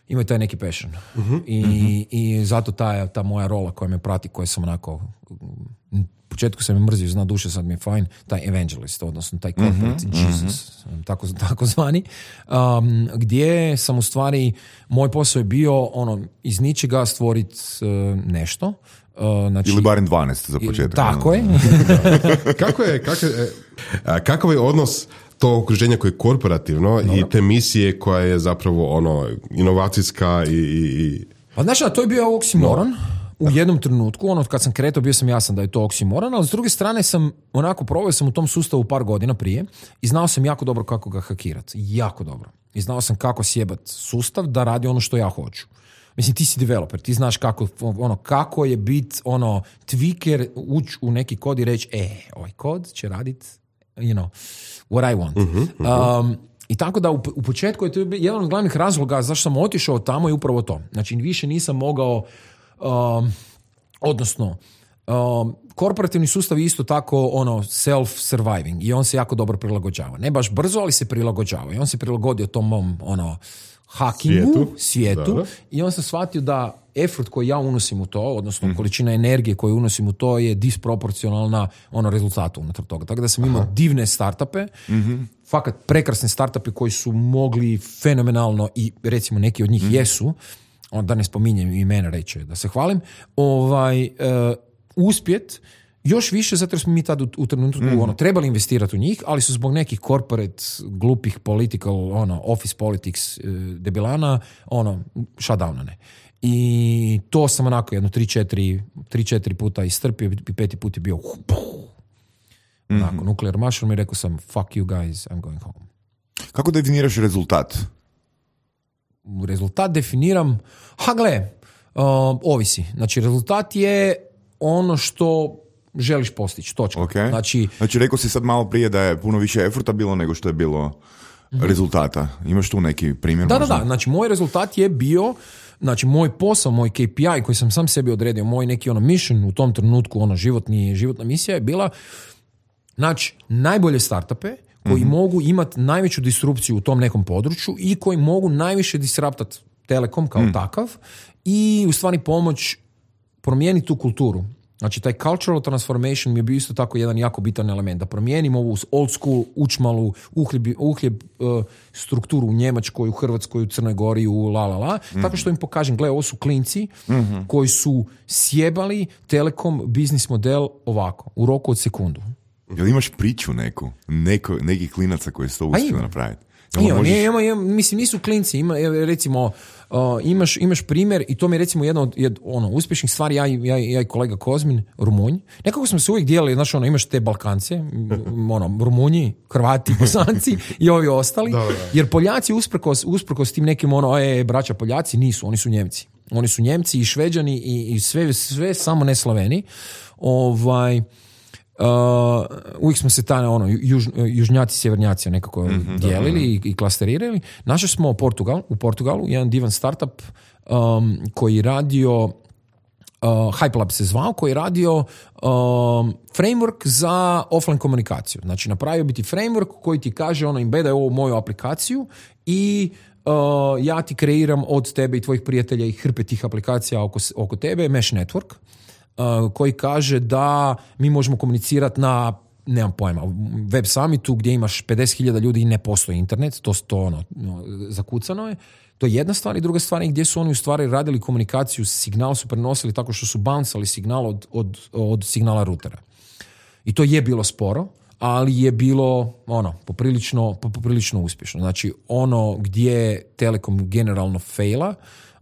Speaker 3: imaju taj neki passion. Uh-huh, I, uh-huh. I zato ta, ta moja rola koja me prati, koja sam onako, u početku sam me mrzio, zna duše, sad mi je fajn, taj evangelist, odnosno taj corporate uh-huh, Jesus, uh-huh. tako, tako zvani, um, gdje sam u stvari, moj posao je bio ono, iz ničega stvoriti uh, nešto. Uh, znači,
Speaker 2: ili barem dvanaest za početak.
Speaker 3: Tako je.
Speaker 4: kako je, kako je, kakav je odnos to okruženje koje je korporativno no, i te misije koja je zapravo ono inovacijska i... i...
Speaker 3: Pa znaš, to je bio oksimoron. No. U jednom trenutku, ono kad sam kretao, bio sam jasan da je to oksimoron, ali s druge strane sam onako proveo sam u tom sustavu par godina prije i znao sam jako dobro kako ga hakirati. Jako dobro. I znao sam kako sjebat sustav da radi ono što ja hoću. Mislim, ti si developer, ti znaš kako, ono, kako je bit ono, tweaker, ući u neki kod i reći, e, ovaj kod će raditi, you know, what I want. Uh-huh, uh-huh. Um, I tako da u, u početku je to jedan od glavnih razloga zašto sam otišao tamo je upravo to. Znači, više nisam mogao, um, odnosno, um, korporativni sustav je isto tako ono self-surviving i on se jako dobro prilagođava. Ne baš brzo, ali se prilagođava. I on se prilagodio tom mom, ono, hackingu, svijetu, svijetu da, da. I on sam shvatio da effort koji ja unosim u to, odnosno mm. količina energije koju unosim u to je disproporcionalna ono rezultatu unutar toga. Tako da sam imao divne startupe, mm-hmm. fakat prekrasne startupe koji su mogli fenomenalno i recimo neki od njih mm. jesu, da ne spominjem imena reći da se hvalim, ovaj, uh, uspjet još više zato jer smo mi tad u, u trenutku mm. ono, trebali investirati u njih, ali su zbog nekih corporate, glupih political, ono, office politics debilana, ono, shutdownane. I to sam onako jedno tri četiri puta istrpio i peti put je bio mm-hmm. onako, nuclear mushroom i rekao sam fuck you guys, I'm going home.
Speaker 2: Kako definiraš rezultat?
Speaker 3: Rezultat definiram, ha gle, uh, ovisi. Znači rezultat je ono što želiš postići, točka.
Speaker 2: Okay.
Speaker 3: Znači,
Speaker 2: znači, rekao si sad malo prije da je puno više efforta bilo nego što je bilo mm-hmm. rezultata. Imaš tu neki primjer?
Speaker 3: Da,
Speaker 2: možda?
Speaker 3: da, da. Znači, moj rezultat je bio, znači, moj posao, moj K P I koji sam sam sebi odredio, moj neki ono mission u tom trenutku, ono životni, životna misija je bila, znači, najbolje startupe koji mm-hmm. mogu imati najveću disrupciju u tom nekom području i koji mogu najviše disruptati Telekom kao mm. takav i u stvari pomoć promijeniti tu kulturu. Znači, taj cultural transformation mi je bio isto tako jedan jako bitan element. Da promijenimo ovu old school, učmalu, uhljeb, uhljeb uh, strukturu u Njemačkoj, u Hrvatskoj, u Crnoj Gori, u la la la. Mm-hmm. Tako što im pokažem, gle, ovo su klinci mm-hmm. koji su sjebali Telekom biznis model ovako, u roku od sekundu.
Speaker 2: Jel imaš priču neku? Neko, nekih klinaca koji su to uspjeli napraviti?
Speaker 3: Ima, možeš... ima, ima, mislim, nisu klinci, ima, recimo, uh, imaš, imaš primjer i to mi je recimo jedna od jed, ono, uspješnih stvari, ja, ja, ja i kolega Kozmin, Rumunj, nekako smo se uvijek dijelili, znaš, ono, imaš te Balkance, ono, Rumunji, Hrvati, Bosanci i ovi ostali, da, da. Jer Poljaci usprkos, usprkos tim nekim, ono, e, braća Poljaci, nisu, oni su Njemci. Oni su Njemci i Šveđani i, i sve, sve samo ne Slaveni. Ovaj... Uh, uvijek smo se ta, ono, juž, južnjaci, sjevernjaci nekako mm-hmm, dijelili i, i klasterirali. Našli smo Portugal, u Portugalu jedan divan startup um, koji radio uh, HyperLab se zvao, koji radio um, framework za offline komunikaciju. Znači napravio biti framework koji ti kaže ono, embedaj ovu moju aplikaciju i uh, ja ti kreiram od tebe i tvojih prijatelja i hrpe tih aplikacija oko, oko tebe, Mesh Network, uh, koji kaže da mi možemo komunicirati na, nemam pojma, web summitu gdje imaš pedeset hiljada ljudi i ne postoji internet, to, to ono, no, zakucano je. To je jedna stvar i druga stvar je gdje su oni u stvari radili komunikaciju, signal su prenosili tako što su bouncali signal od, od, od signala rutera. I to je bilo sporo, ali je bilo ono, poprilično, poprilično uspješno. Znači, ono gdje Telekom generalno faila,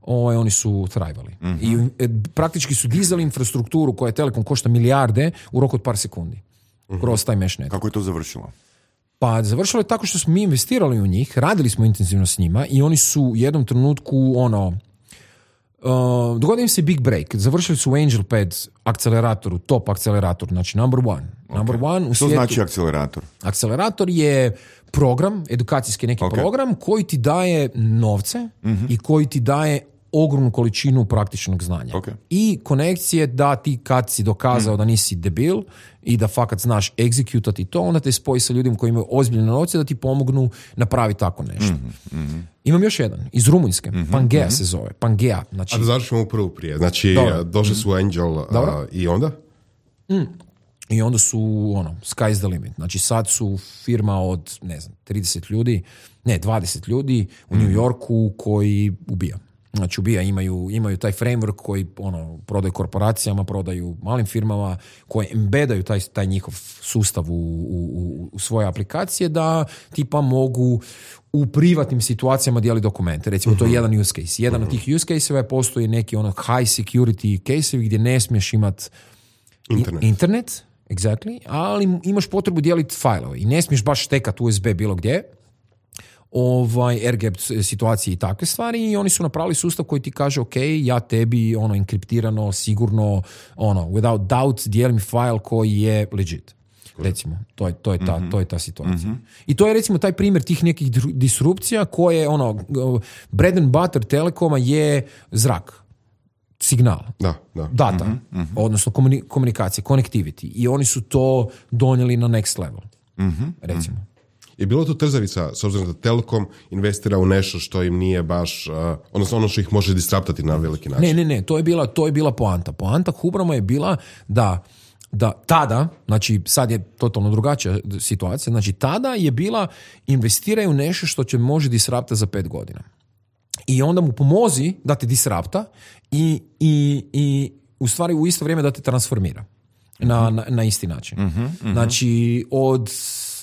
Speaker 3: ovaj, oni su thrivali. Mm-hmm. I e, praktički su dizali infrastrukturu koja Telekom košta milijarde u roku od par sekundi. Mm-hmm. Kroz taj mesh network.
Speaker 2: Kako je to završilo?
Speaker 3: Pa završilo je tako što smo mi investirali u njih, radili smo intenzivno s njima i oni su u jednom trenutku ono, uh, dogodio im se big break. Završili su u AngelPad akceleratoru, top akcelerator, znači number one. Okay. Number one u
Speaker 2: Što
Speaker 3: svijetu.
Speaker 2: znači akcelerator?
Speaker 3: Akcelerator je program, edukacijski neki okay. program koji ti daje novce mm-hmm. i koji ti daje ogromnu količinu praktičnog znanja.
Speaker 2: Okay.
Speaker 3: I konekcije da ti kad si dokazao mm. da nisi debil i da fakat znaš egzekutati to, onda te spoji sa ljudima koji imaju ozbiljne novce da ti pomognu napraviti tako nešto.
Speaker 2: Mm-hmm.
Speaker 3: Imam još jedan, iz Rumunjske,
Speaker 2: mm-hmm.
Speaker 3: Pangea
Speaker 2: mm-hmm.
Speaker 3: se zove, Pangea. Znači,
Speaker 4: a da završimo prvu prije. Znači, Dobro. došli su Angel uh, i onda?
Speaker 3: Mm. I onda su, ono, sky's the limit. Znači, sad su firma od, ne znam, trideset ljudi, ne, dvadeset ljudi u mm. New Yorku koji ubija. Znači, ubija, imaju, imaju taj framework koji ono, prodaju korporacijama, prodaju malim firmama, koje embedaju taj, taj njihov sustav u, u, u svoje aplikacije da tipa mogu u privatnim situacijama dijeliti dokumente. Recimo, uh-huh. to je jedan use case. Jedan uh-huh. od tih use case-eva je postoji neki ono high security case-evi gdje ne smiješ imati
Speaker 4: internet.
Speaker 3: internet, exactly, ali imaš potrebu dijeliti fajlove i ne smiješ baš štekati U S B bilo gdje, ovaj air gap situacije i takve stvari i oni su napravili sustav koji ti kaže ok, ja tebi ono enkriptirano, sigurno, ono, without doubt dijelim file koji je legit. Recimo, to je, to je, ta, mm-hmm. to je ta situacija. Mm-hmm. I to je recimo taj primjer tih nekih disrupcija koje ono, bread and butter Telekoma je zrak. Signal,
Speaker 4: da, da.
Speaker 3: data,
Speaker 2: mm-hmm, mm-hmm.
Speaker 3: odnosno komuni- komunikacija, connectivity. I oni su to donijeli na next level.
Speaker 2: Mm-hmm.
Speaker 3: Recimo.
Speaker 4: Je bilo to trzavica, s obzirom da Telekom investira u nešto što im nije baš, uh, odnosno ono što ih može disruptati na veliki način?
Speaker 3: Ne, ne, ne, to je bila, to je bila poanta. Poanta Hubrama je bila da, da tada, znači sad je totalno drugačija situacija, znači tada je bila investiraju nešto što će može disrupta za pet godina. I onda mu pomozi da te disrupta i, i, i u stvari u isto vrijeme da te transformira na, na, na isti način.
Speaker 2: Mm-hmm, mm-hmm.
Speaker 3: Znači od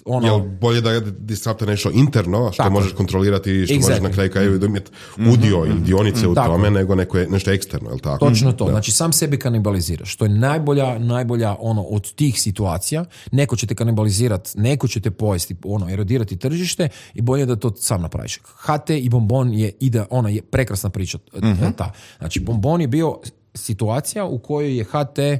Speaker 3: ono...
Speaker 4: Jel bolje da je disrupta nešto interno, što
Speaker 3: tako
Speaker 4: možeš kontrolirati, što
Speaker 3: exactly.
Speaker 4: možeš na kraju kraju imati udio mm-hmm. ili dionice mm-hmm. u
Speaker 3: tako.
Speaker 4: tome, nego neko je, nešto eksterno, jel tako?
Speaker 3: Točno to,
Speaker 4: da.
Speaker 3: znači sam sebe kanibaliziraš. To je najbolja, najbolja ono od tih situacija. Neko će te kanibalizirati, neko će te pojesti, ono, erodirati tržište i bolje da to sam napraviš. H T i Bonbon je, ide, ona je prekrasna priča. Mm-hmm. Ta. Znači, Bonbon je bio situacija u kojoj je H T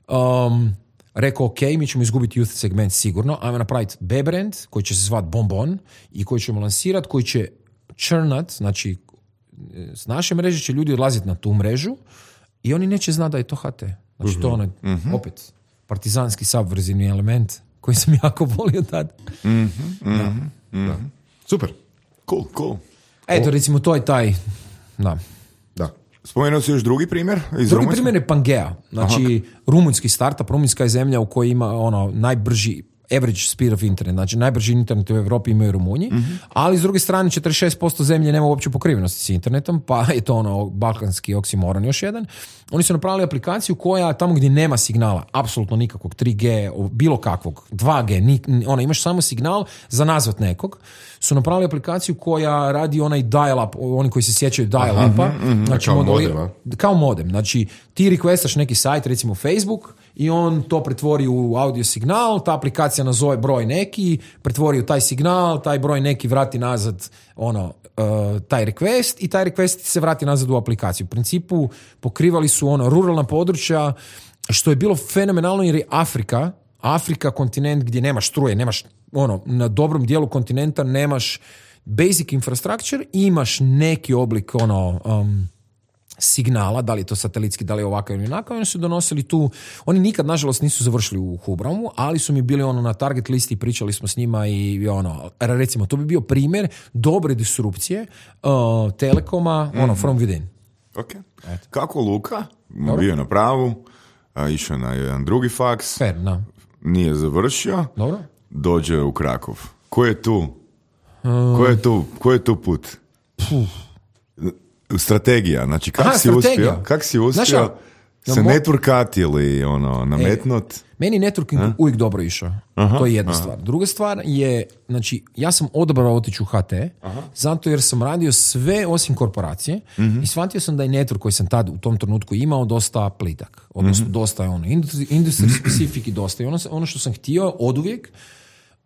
Speaker 3: um, rekao, ok, mi ćemo izgubiti youth segment sigurno, ajmo napraviti B brand koji će se zvati Bonbon i koji ćemo lansirati, koji će churnat, znači s naše mreže će ljudi odlaziti na tu mrežu i oni neće znati da je to H T. Znači uh-huh. to ono, uh-huh. opet, partizanski subverzivni element koji sam jako volio tad.
Speaker 2: Uh-huh. Uh-huh.
Speaker 3: Da.
Speaker 4: Da. Super.
Speaker 2: Cool, cool.
Speaker 3: Eto, recimo, to je taj... Da.
Speaker 4: Da.
Speaker 2: Spomenuo si još drugi primjer iz
Speaker 3: Drugi
Speaker 2: Rumunjske?
Speaker 3: primjer je Pangea. Znači, Aha. rumunjski startup, rumunjska je zemlja u kojoj ima ono najbrži average speed of internet. Znači, najbrži internet u Europi imaju Rumunji, mm-hmm. ali s druge strane četrdeset šest posto zemlje nema uopće pokrivenosti s internetom, pa je to ono balkanski oksimoron još jedan. Oni su napravili aplikaciju koja tamo gdje nema signala, apsolutno nikakvog tri G, bilo kakvog, dva G, ni, ona, imaš samo signal za nazvat nekog, su napravili aplikaciju koja radi onaj dial-up, oni koji se sjećaju dial-upa.
Speaker 4: Mm-hmm.
Speaker 3: Znači,
Speaker 4: kao
Speaker 3: modeli,
Speaker 4: modem,
Speaker 3: kao modem. Znači, ti requestaš neki sajt, recimo Facebook, i on to pretvori u audio signal, ta aplikacija nazove broj neki, pretvori u taj signal, taj broj neki vrati nazad ono, uh, taj request i taj request se vrati nazad u aplikaciju. U principu pokrivali su ono ruralna područja, što je bilo fenomenalno jer je Afrika, Afrika kontinent gdje nemaš struje, nemaš ono, na dobrom dijelu kontinenta nemaš basic infrastructure, imaš neki oblik ono... Um, signala, da li je to satelitski, da li je ovakav ili onakav, oni su donosili tu, oni nikad nažalost nisu završili u Hubramu, ali su mi bili ono na target listi, pričali smo s njima i ono, recimo, to bi bio primjer dobre disrupcije uh, Telekoma, mm-hmm. ono, from within.
Speaker 2: Ok. Eto. Kako Luka, Dobro. bio na pravu, a išao na jedan drugi faks,
Speaker 3: Fair, no.
Speaker 2: nije završio,
Speaker 3: Dobro.
Speaker 2: dođe u Krakov. Ko je tu? Uh, ko je tu? Ko je tu put? Puh. Strategija, znači kak
Speaker 3: Aha,
Speaker 2: si
Speaker 3: strategija.
Speaker 2: uspio, kak si uspio
Speaker 3: Znaš,
Speaker 2: se
Speaker 3: mo-
Speaker 2: networkati ili ono, nametnut?
Speaker 3: E, meni networking
Speaker 2: A?
Speaker 3: uvijek dobro išao.
Speaker 2: Aha,
Speaker 3: to je jedna
Speaker 2: aha.
Speaker 3: stvar. Druga stvar je, znači, ja sam odabrao otići u H T, aha. zato jer sam radio sve osim korporacije mm-hmm. i shvatio sam da je network koji sam tad u tom trenutku imao dosta plitak. Odnosno, mm-hmm. dosta je ono, industry specific i dosta. I ono, ono što sam htio oduvijek,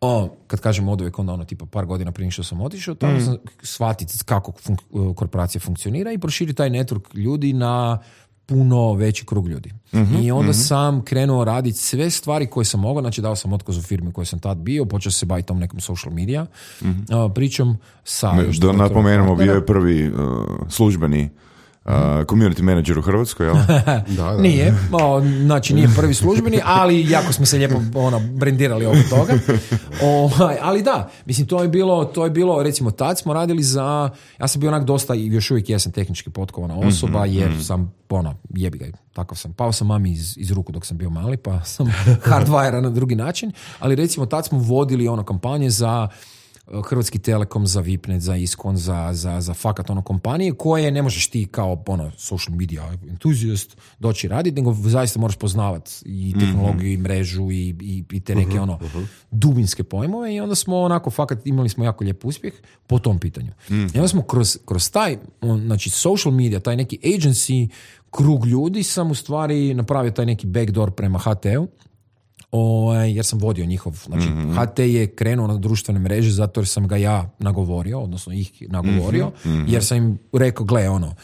Speaker 3: O, kad kažem oduvijek, onda ono tipa par godina prije što sam otišao, tamo mm. sam shvatiti kako fun- korporacija funkcionira i proširi taj network ljudi na puno veći krug ljudi. Mm-hmm, I onda mm-hmm. sam krenuo raditi sve stvari koje sam mogao, znači dao sam otkaz u firmi u kojoj sam tad bio, počeo se baviti tom nekom social media, mm-hmm. uh, pričom sa...
Speaker 2: Ne, da napomenemo, bio je prvi uh, službeni Uh, community manager u Hrvatskoj, jel?
Speaker 3: da, da. Nije, o, znači nije prvi službeni, ali jako smo se lijepo ono, brendirali oko toga. O, ali da, mislim, to je bilo, to je bilo, recimo, tad smo radili za, ja sam bio onak dosta i još uvijek jesam tehnički potkovana osoba, mm-hmm, jer mm-hmm. sam, ono, jebi ga, takav sam. Pao sam mami iz, iz ruku dok sam bio mali, pa sam hardwire na drugi način, ali recimo tad smo vodili ono kampanje za Hrvatski Telekom, za Vipnet, za Iskon, za, za, za fakat ono kompanije koje ne možeš ti kao ono social media entuzijast doći raditi, nego zaista moraš poznavati i tehnologiju mm-hmm. i mrežu i, i, i te neke uh-huh, ono uh-huh. dubinske pojmove i onda smo onako fakat imali smo jako lijep uspjeh po tom pitanju. Mm-hmm. I onda smo kroz, kroz taj znači social media, taj neki agency krug ljudi sam u stvari napravio taj neki backdoor prema H T-u. O, jer sam vodio njihov, znači mm-hmm. H T je krenuo na društvene mreže zato jer sam ga ja nagovorio, odnosno ih nagovorio, mm-hmm. jer sam im rekao, gle, ono,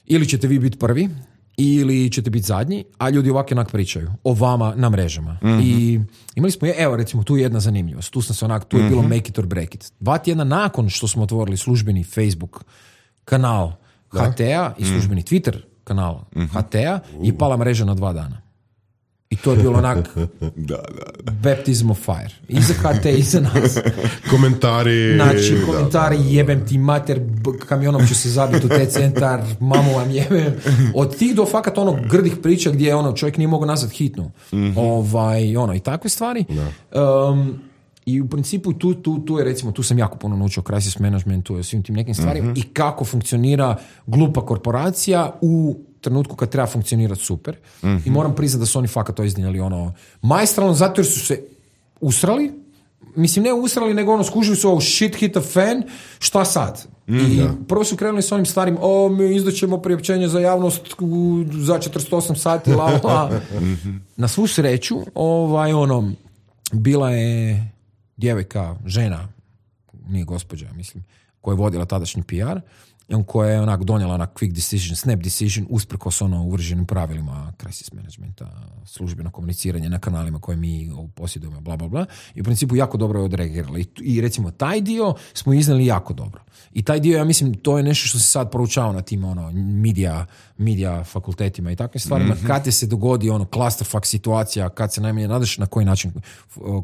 Speaker 3: ili ćete vi biti prvi, ili ćete biti zadnji, a ljudi ovako onak pričaju o vama na mrežama. Mm-hmm. I imali smo, evo recimo, tu je jedna zanimljivost, tu sam se onak, tu je mm-hmm. bilo make it or break it. Dva tjedna nakon što smo otvorili službeni Facebook kanal da? H T-a i službeni mm-hmm. Twitter kanal mm-hmm. H T-a je pala mreža na dva dana. I to je bilo onak
Speaker 2: da, da, da.
Speaker 3: baptism of fire. I za H T, i za nas.
Speaker 4: Komentari.
Speaker 3: Znači, komentari, da, da. Jebem ti mater, kamionom ću se zabiti u te centar, mamu vam jebem. Od tih do fakat ono grdih priča gdje ono, čovjek nije mogao nazvat hitnu. Mm-hmm. Ovaj, ono, i takve stvari. Um, I u principu tu, tu, tu je recimo, tu sam jako puno naučio crisis managementu i svim tim nekim stvarima mm-hmm. i kako funkcionira glupa korporacija u trenutku kad treba funkcionirati super. Mm-hmm. I moram priznati da su oni fakat to iznijeli ono majstralno, zato jer su se usrali, mislim ne usrali, nego ono skužili su ovo shit hit a fan, šta sad? Mm-hmm. I prvo su krenuli s onim starim, o, mi izdaćemo priopćenje za javnost u, za četrdeset osam sati, la, la. Mm-hmm. Na svu sreću, ovaj, ono, bila je djevojka, žena, nije gospođa, mislim, koja je vodila tadašnji P R, koja je onak donijela na quick decision, snap decision, usprkos ono uvrženim pravilima crisis managementa, službeno komuniciranje na kanalima koje mi posjedujemo, bla, bla, bla. I u principu jako dobro je odreagirala. I, I recimo taj dio smo iznali jako dobro. I taj dio, ja mislim, to je nešto što se sad proučava na tim ono, media, media fakultetima i takvim stvarima. Mm-hmm. Kad je se dogodi ono clusterfuck situacija, kad se najmanje nadaš, na koji način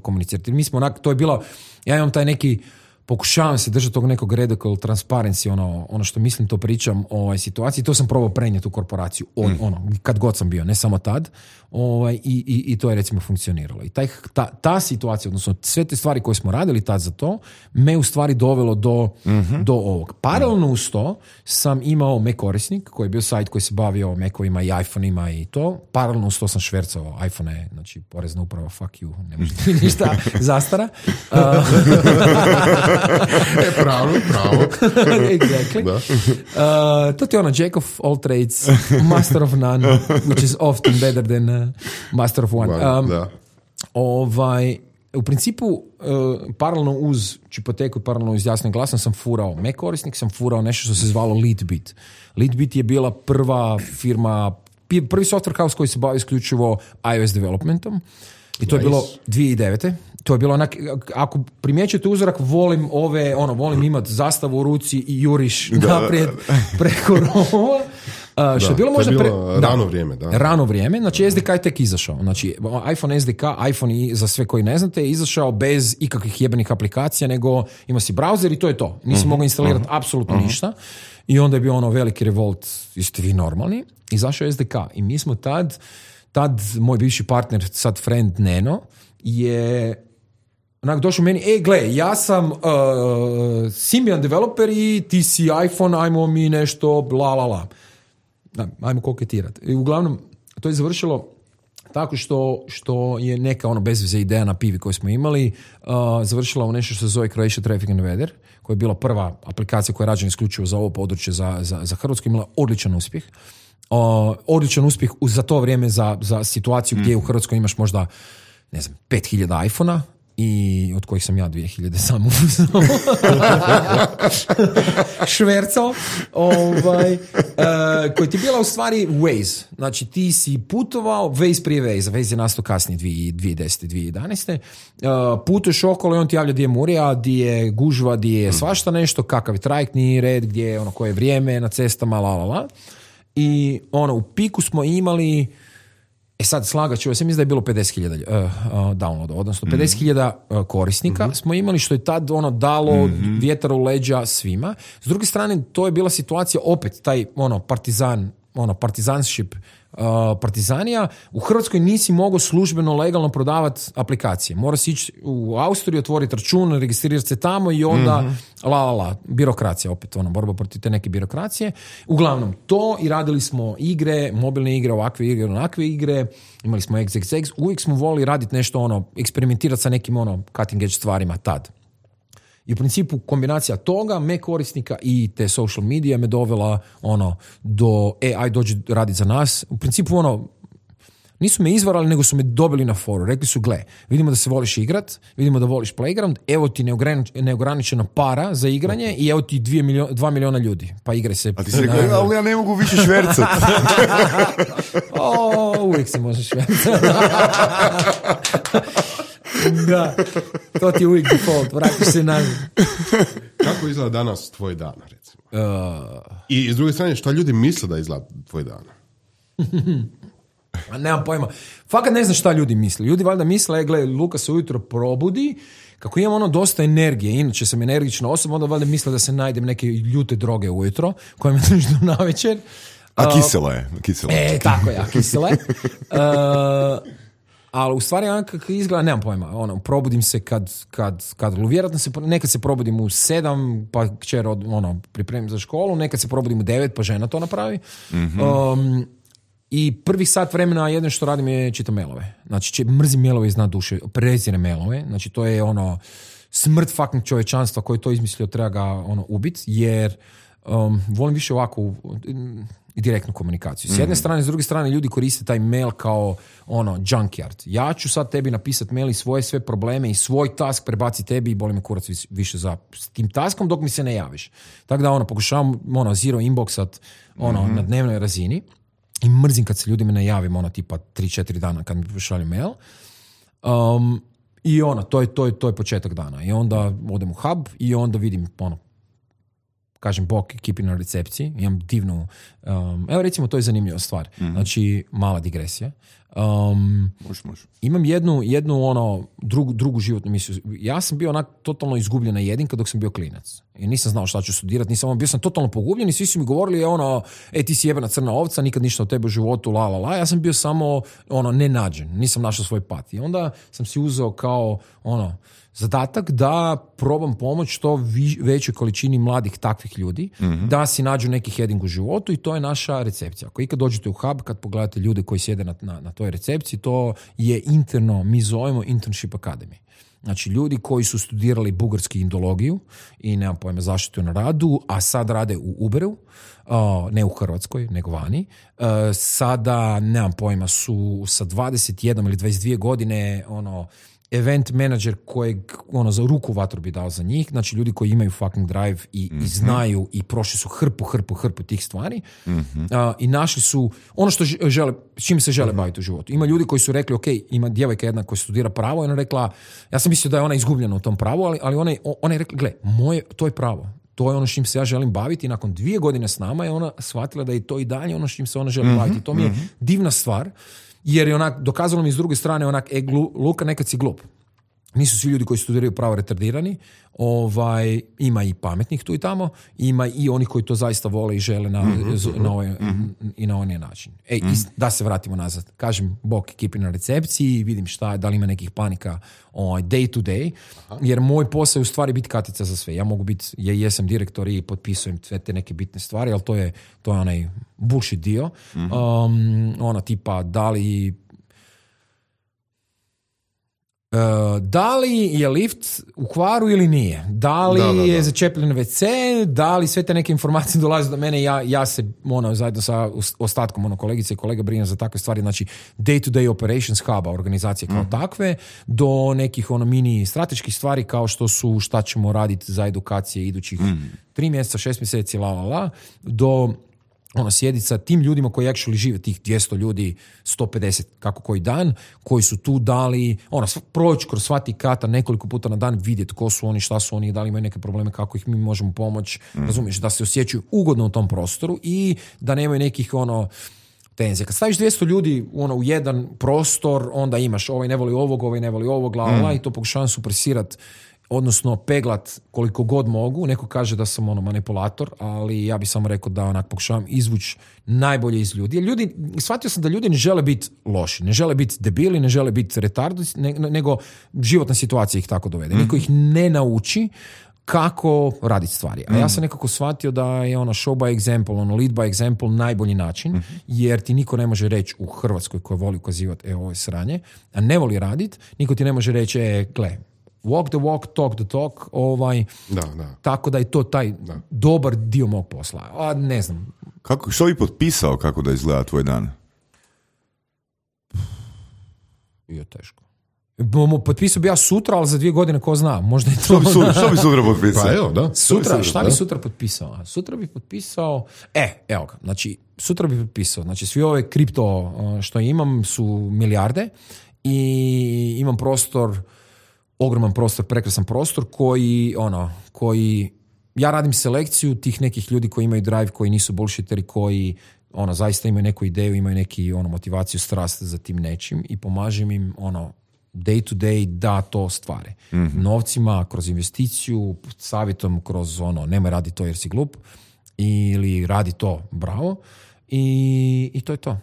Speaker 3: komunicirati. Mi smo onak, to je bilo, ja imam taj neki pokušavam se držati tog nekog radical transparency, ono, ono što mislim to pričam o ovoj situaciji, to sam probao prenijeti u korporaciju, on, mm. ono, kad god sam bio, ne samo tad, ovaj, i, i, i to je recimo funkcioniralo. I taj, ta, ta situacija, odnosno sve te stvari koje smo radili tad za to, me u stvari dovelo do, mm-hmm. do ovog. Paralelno uz to sam imao Mac korisnik, koji je bio sajt koji se bavio Macovima i iPhone-ima i to. Paralelno uz to sam švercao iPhone-e, znači porezna uprava, fuck you, ne možete mi ništa, zastara. Uh,
Speaker 4: e, pravo, pravo.
Speaker 3: Exactly. Uh, to ti je ono, Jack of all trades, master of none, which is often better than uh, master of one. Um, da. Ovaj, u principu, uh, paralelno uz Čipoteku i paralelno uz Jasnim glasom sam furao Mac korisnik, sam furao nešto što se zvalo Leadbit. Leadbit je bila prva firma, prvi software house koji se bavi isključivo iOS developmentom. I to nice. Je bilo dvije tisuće devete. To je bilo onak, ako primjećujete uzorak, volim ove, ono, volim imati zastavu u ruci i juriš da, naprijed preko rova. Uh, što je bilo
Speaker 4: to
Speaker 3: možda
Speaker 4: je
Speaker 3: pre...
Speaker 4: bilo rano vrijeme, da.
Speaker 3: Rano vrijeme, znači S D K je tek izašao. Znači iPhone S D K, iPhone i za sve koji ne znate, je izašao bez ikakvih jebenih aplikacija, nego ima si browser i to je to. Nisi uh-huh. mogao instalirati uh-huh. apsolutno uh-huh. ništa. I onda je bio ono veliki revolt, jeste vi normalni? Izašao je S D K i mi smo tad, tad moj bivši partner, sad friend Neno, je onak došao meni, e gle, ja sam uh, Symbian developer i ti si iPhone, ajmo mi nešto, bla, la, la. Da, ajmo koketirati. I uglavnom, to je završilo tako što, što je neka ono bezveze ideja na pivi koju smo imali, uh, završila u nešto što se zove Croatia Traffic and Weather, koja je bila prva aplikacija koja je rađena isključivo za ovo područje, za, za, za Hrvatsku, imala odličan uspjeh. Uh, odličan uspjeh za to vrijeme za, za situaciju gdje mm. u Hrvatskoj imaš možda, ne znam, pet hiljada iPhona, i od kojih sam ja dvije hiljade samo švercao, ovaj, uh, koji ti je bila u stvari Waze. Znači ti si putovao, Waze prije Waze, Waze je nastao kasnije dvije tisuće desete. dvije tisuće jedanaeste. Uh, putuješ okolo i on ti javlja gdje je murija, gdje je gužva, gdje je svašta nešto, kakav je trajektni red, gdje je ono koje je vrijeme na cestama, la la la. I ono, u piku smo imali, e sad slagat ću, ja sam mislim da je bilo pedeset hiljada uh, uh, downloada, odnosno pedeset hiljada uh, korisnika mm-hmm. smo imali, što je tad ono dalo mm-hmm. vjetar u leđa svima. S druge strane, to je bila situacija opet, taj ono partizan, ono partizanship, uh, partizanija. U Hrvatskoj nisi mogao službeno legalno prodavati aplikacije. Moraš ići u Austriju, otvoriti račun, registrirati se tamo i onda mm-hmm. la la la, birokracija opet, ono, borba protiv te neke birokracije. Uglavnom, to i radili smo igre, mobilne igre, ovakve igre, onakve igre, imali smo iks iks iks, uvijek smo volili raditi nešto, ono, eksperimentirati sa nekim, ono, cutting edge stvarima tad. I u principu kombinacija toga, me korisnika i te social medije me dovela ono do, e, aj dođi raditi za nas. U principu ono, nisu me izvarali, nego su me dobili na foru. Rekli su, gle, vidimo da se voliš igrat, vidimo da voliš playground, evo ti neograničena para za igranje i evo ti dvije milio, dva miliona ljudi. Pa igraj se.
Speaker 2: A ti si rekao, na... ali ja ne mogu više švercat.
Speaker 3: o, uvijek se može švercat. Da, to ti je uvijek default, vratiš se na...
Speaker 4: Kako izgleda danas tvoj dan, recimo?
Speaker 3: Uh...
Speaker 4: I s druge strane, šta ljudi misle da izgleda tvoj dan?
Speaker 3: A nemam pojma. Fakat ne znam šta ljudi misle. Ljudi valjda misle, gle, Luka se ujutro probudi, kako imam ono dosta energije, inače sam energična osoba, onda valjda misle da se najdem neke ljute droge ujutro, koje me drži do navečer.
Speaker 2: A kisela je. Kisela.
Speaker 3: E, tako je, a kisela je. Uh, ali u stvari kako izgleda, nemam pojma, ono, probudim se kad, kad, kad vjerojatno se, nekad se probudim u sedam, pa kćer od, ono, pripremim za školu, nekad se probudim u devet, pa žena to napravi. Mm-hmm. Um, I prvih sat vremena jedno što radim je čitam mailove. Znači, če, mrzim mailove iz dna duše, prezirem mailove, znači to je ono, smrt fucking čovječanstva koji je to izmislio, treba ga ono, ubiti, jer um, volim više ovakvu direktnu komunikaciju. S jedne mm. strane, s druge strane, ljudi koriste taj mail kao ono, junkyard. Ja ću sad tebi napisati mail i svoje sve probleme i svoj task prebaci tebi i boli me kurac više za s tim taskom dok mi se ne javiš. Tako da ono, pokušavam ono, zero inboxat ono, mm-hmm. na dnevnoj razini i mrzim kad se ljudima ne javim ono, tipa tri četiri dana kad mi pošalju mail. Um, I ono, to je, to, je, to je početak dana. I onda odem u hub i onda vidim ono, kažem, bok ekipi na recepciji, imam divnu, um, evo recimo, to je zanimljiva stvar, mm-hmm. znači, mala digresija. Um,
Speaker 2: može, može.
Speaker 3: Imam jednu, jednu ono, drugu, drugu životnu misiju. Ja sam bio onak totalno izgubljen na jedinka dok sam bio klinac. I nisam znao šta ću studirati, nisam, bio sam totalno pogubljen i svi su mi govorili, ono, e, ti si jebena crna ovca, nikad ništa od tebe u životu, la, la, la. Ja sam bio samo, ono, nenađen, nisam našao svoj pat. I onda sam si uzeo kao, ono, zadatak da probam pomoći što vi, većoj količini mladih takvih ljudi, mm-hmm. da si nađu neki heading u životu i to je naša recepcija. Ako ikad dođete u hub, kad pogledate ljude koji sjede na, na, na toj recepciji, to je interno, mi zovemo Internship Academy. Znači, ljudi koji su studirali bugarski indologiju i nemam pojma zaštitu na radu, a sad rade u Uberu, uh, ne u Hrvatskoj, nego vani. Uh, sada, nemam pojma, su sa dvadeset jedan ili dvadeset dvije godine, ono, event manager kojeg ono, za ruku vatru bi dao za njih, znači ljudi koji imaju fucking drive i, mm-hmm. i znaju i prošli su hrpu, hrpu, hrpu tih stvari mm-hmm. uh, i našli su ono što žele, čim se žele mm-hmm. baviti u životu. Ima ljudi koji su rekli, ok, ima djevojka jedna koja studira pravo i ona rekla, ja sam mislio da je ona izgubljena u tom pravu, ali, ali ona, ona je rekla, gle, moje, to je pravo. to je ono s čim se ja želim baviti i nakon dvije godine s nama je ona shvatila da je to i dalje ono s čim se ona želi mm-hmm, baviti. To mi je mm-hmm. divna stvar, jer je onak, dokazalo mi s druge strane onak, e, glu, Luka, nekad si glup. Nisu svi ljudi koji studiraju pravo retardirani, ovaj, ima i pametnih tu i tamo, ima i oni koji to zaista vole i žele na, mm-hmm. na ovaj, mm-hmm. i na onaj način. Ej, mm-hmm. da se vratimo nazad. Kažem, bok ekipi na recepciji, vidim šta, da li ima nekih panika ovaj, day to day, aha. jer moj posao je u stvari biti katica za sve. Ja mogu biti, ja jesam direktor i potpisujem sve te neke bitne stvari, ali to je, to je onaj bullshit dio. Mm-hmm. Um, ona tipa, da li Uh, da li je lift u kvaru ili nije? Da li da, da, da. je začepljen ve ce? Da li sve te neke informacije dolaze do mene? Ja, ja se ono, zajedno sa ostatkom ono, kolegice i kolega brinem za takve stvari. Znači, day-to-day operations huba, organizacije kao mm. takve, do nekih ono, mini strateških stvari kao što su šta ćemo raditi za edukacije idućih mm. tri mjeseca, šest mjeseci, la, la, la, do ono, sjediti sa tim ljudima koji actually žive, tih dvjesto ljudi, sto pedeset kako koji dan, koji su tu dali, ono, proći kroz sva ti kata nekoliko puta na dan, vidjeti ko su oni, šta su oni, da li imaju neke probleme, kako ih mi možemo pomoći, mm. razumiješ, da se osjećaju ugodno u tom prostoru i da nemaju nekih, ono, tenzija. Kad staviš dvjesto ljudi ono, u jedan prostor, onda imaš ovaj ne voli ovog, ovaj ne voli ovog, la, la, mm. i to pokušavam supresirati, odnosno peglat koliko god mogu. Neko kaže da sam ono manipulator, ali ja bih samo rekao da onak pokušavam izvući najbolje iz ljudi. Jer ljudi, shvatio sam da ljudi ne žele biti loši, ne žele biti debili, ne žele biti retardi, ne, nego životna situacija ih tako dovede. Mm. Niko ih ne nauči kako raditi stvari. A ja sam nekako shvatio da je ono show by example, ono lead by example najbolji način, mm-hmm. jer ti niko ne može reći u Hrvatskoj koja voli ukazivati, e, ovo je sranje, a ne voli raditi, niko ti ne može reći, e, gle, walk the walk, talk the talk, ovaj,
Speaker 4: da, da.
Speaker 3: tako da je to taj da. dobar dio mog posla. A ne znam.
Speaker 2: Kako, što bi potpisao kako da izgleda tvoj dan?
Speaker 3: Bio teško. Potpisao bi ja sutra, ali za dvije godine ko zna. Možda je to...
Speaker 2: Što bi sutra, što bi sutra potpisao?
Speaker 4: Pa evo, da.
Speaker 3: Sutra, šta bi sutra potpisao? Sutra bi potpisao... E, evo ga. Znači, sutra bi potpisao. Znači, svi ove kripto što imam su milijarde i imam prostor, ogroman prostor, prekrasan prostor koji, ono, koji... Ja radim selekciju tih nekih ljudi koji imaju drive, koji nisu bullshiteri, koji ono, zaista imaju neku ideju, imaju neki ono, motivaciju, strast za tim nečim i pomažem im ono, day to day da to stvare. Mm-hmm. Novcima, kroz investiciju, savjetom kroz ono, nemoj radi to jer si glup, ili radi to, bravo, i, i to je to.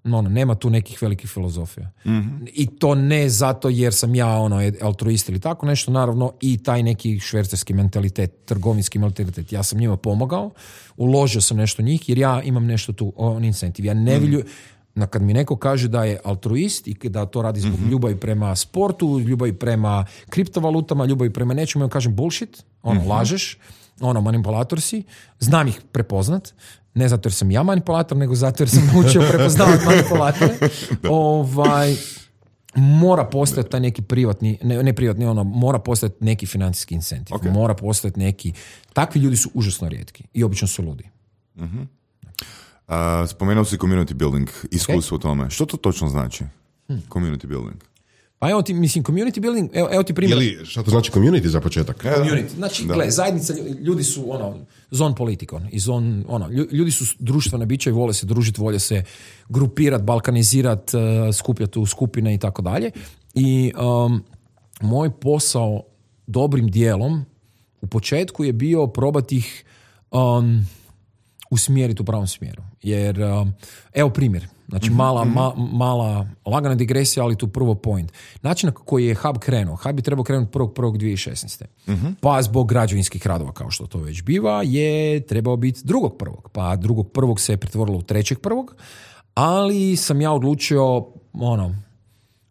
Speaker 3: No, no, nema tu nekih velikih filozofija. Mm-hmm. I to ne zato jer sam ja ono, altruist ili tako nešto, naravno i taj neki švercerski mentalitet, trgovinski mentalitet. Ja sam njima pomogao, uložio sam nešto njih jer ja imam nešto tu, on incentiv. Ja ne vilju, mm-hmm. kad mi neko kaže da je altruist i da to radi zbog mm-hmm. ljubavi prema sportu, ljubavi prema kriptovalutama, ljubavi prema nečemu, ja kažem bullshit, ono, mm-hmm. lažeš, ono, manipulator si, znam ih prepoznat, ne zato jer sam ja manipulator, nego zato jer sam naučio prepoznavati manipulatore. Ovaj, mora postojati taj neki privatni, ne, ne privatni, ono, mora postojati neki financijski incentiv. Okay. Mora postojati neki... Takvi ljudi su užasno rijetki i obično su ludi.
Speaker 2: Uh-huh. Uh, spomenuo si community building, iskustvo okay. u tome. Što to točno znači? Hmm. Community building.
Speaker 3: Pa evo ti, mislim, community building, evo, evo ti primjer.
Speaker 4: Jeli, šta to znači community za početak?
Speaker 3: Community, znači, gle, zajednica, ljudi su, ono, zon politikon, i zon, ono, ljudi su društvene biće i vole se družiti, vole se grupirati, balkanizirati, uh, skupljati u skupine i tako dalje. I um, moj posao dobrim dijelom u početku je bio probati ih um, usmjeriti u pravom smjeru. Jer, um, evo primjer, znači mm-hmm. mala, ma, mala, lagana digresija, ali tu prvo point. Način na koji je Hub krenuo, Hub je trebao krenuti prvog prvog dvije tisuće šesnaeste. Mm-hmm. Pa zbog građevinskih radova, kao što to već biva, je trebao biti drugog prvog. Pa drugog prvog se je pretvorilo u trećeg prvog, ali sam ja odlučio, ono,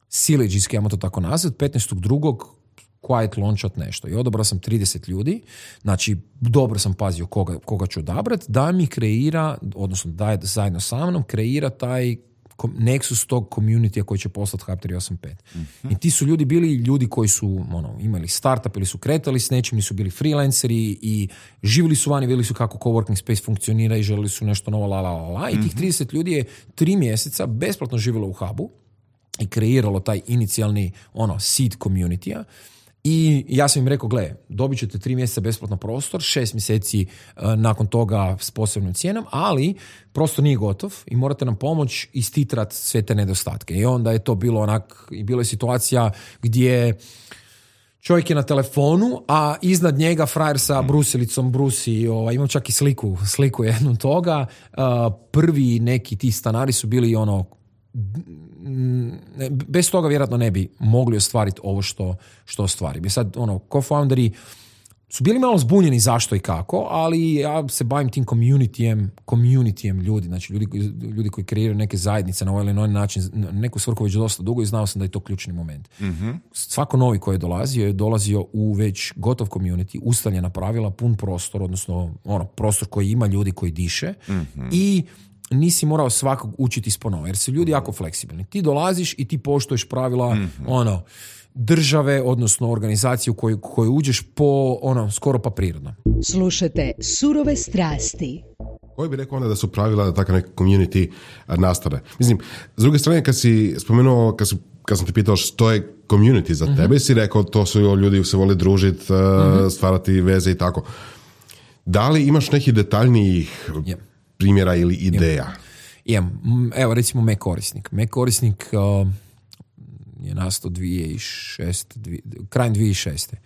Speaker 3: sileđijski, ajmo to tako nazvat, petnaestog drugog quiet launchat nešto. I odabrao sam trideset ljudi, znači dobro sam pazio koga, koga ću odabrati, da mi kreira, odnosno da je zajedno sa mnom, kreira taj nexus tog communitya koji će poslati Hub tri osam pet. Mm-hmm. I ti su ljudi bili ljudi koji su ono, imali startup ili su kretali s nečim, nisu bili freelanceri i živjeli su vani, vidjeli su kako coworking space funkcionira i želili su nešto novo, la, la, la, la. I tih trideset ljudi je tri mjeseca besplatno živjelo u Hubu i kreiralo taj inicijalni ono, seed communitya. I ja sam im rekao, gle, dobit ćete tri mjeseca besplatno prostor, šest mjeseci uh, nakon toga s posebnom cijenom, ali prostor nije gotov i morate nam pomoći istitrat sve te nedostatke. I onda je to bilo onak, i bila je situacija gdje čovjek je na telefonu, a iznad njega frajer sa brusilicom brusi, ovaj, imam čak i sliku, sliku jednu toga. Uh, prvi neki ti stanari su bili ono, bez toga vjerojatno ne bi mogli ostvariti ovo što, što ostvarim. I sad, ono, co-founderi su bili malo zbunjeni zašto i kako, ali ja se bavim tim communityjem, communityjem ljudi, znači ljudi, ljudi koji kreiraju neke zajednice na ovaj ili onaj način, neku svrhu već dosta dugo i znao sam da je to ključni moment. Mm-hmm. Svako novi koji je dolazio je dolazio u već gotov community, ustaljena pravila, pun prostor, odnosno ono, prostor koji ima ljudi koji diše mm-hmm. i nisi morao svakog učiti isponova, jer su ljudi jako fleksibilni. Ti dolaziš i ti poštuješ pravila mm-hmm. ono, države, odnosno organizaciju u koju, koju uđeš po, ono, skoro pa prirodno.
Speaker 1: Slušajte Surove strasti.
Speaker 4: Koji bi rekao onda da su pravila da takav neki community nastane? Mislim, s druge strane, kad si spomenuo, kad, su, kad sam te pitao što je community za mm-hmm. tebe, si rekao to su ljudi se vole družiti, mm-hmm. stvarati veze i tako. Da li imaš nekih detaljnijih yeah. primjera ili ideja?
Speaker 3: Imam. Evo, recimo Mac korisnik. Mac korisnik uh, je nastao dvije tisuće šeste, dvije, krajem dvije tisuće šeste.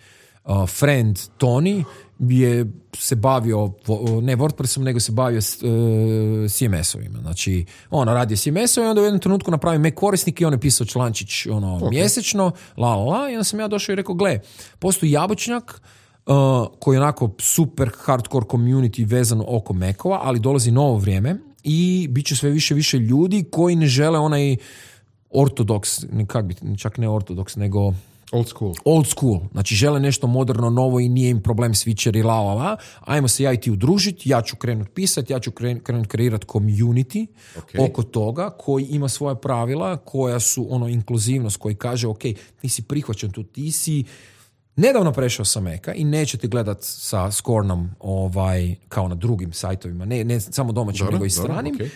Speaker 3: Uh, friend Tony je se bavio, ne WordPressom, nego se bavio s, uh, C M S-ovima. Znači, on radio C M S-ove i onda u jednom trenutku napravio Mac korisnik i on je pisao člančić ono, okay. mjesečno, la la la, i onda sam ja došao i rekao, gle, postoji jabučnjak Uh, koji je onako super hardcore community vezan oko Macova, ali dolazi novo vrijeme i bit će sve više više ljudi koji ne žele onaj ortodoks, kak bi, čak ne ortodoks, nego
Speaker 4: old school.
Speaker 3: Old school. Znači žele nešto moderno, novo i nije im problem switcher i la la la. Ajmo se ja i ti udružiti, ja ću krenut pisati, ja ću krenut kreirati community okay. oko toga koji ima svoja pravila, koja su ono inkluzivnost, koji kaže ok, ti si prihvaćen tu, ti si nedavno prešao sa Maca i nećete gledat sa Scornom ovaj, kao na drugim sajtovima, ne, ne samo domaćim, nego i stranim. Okay.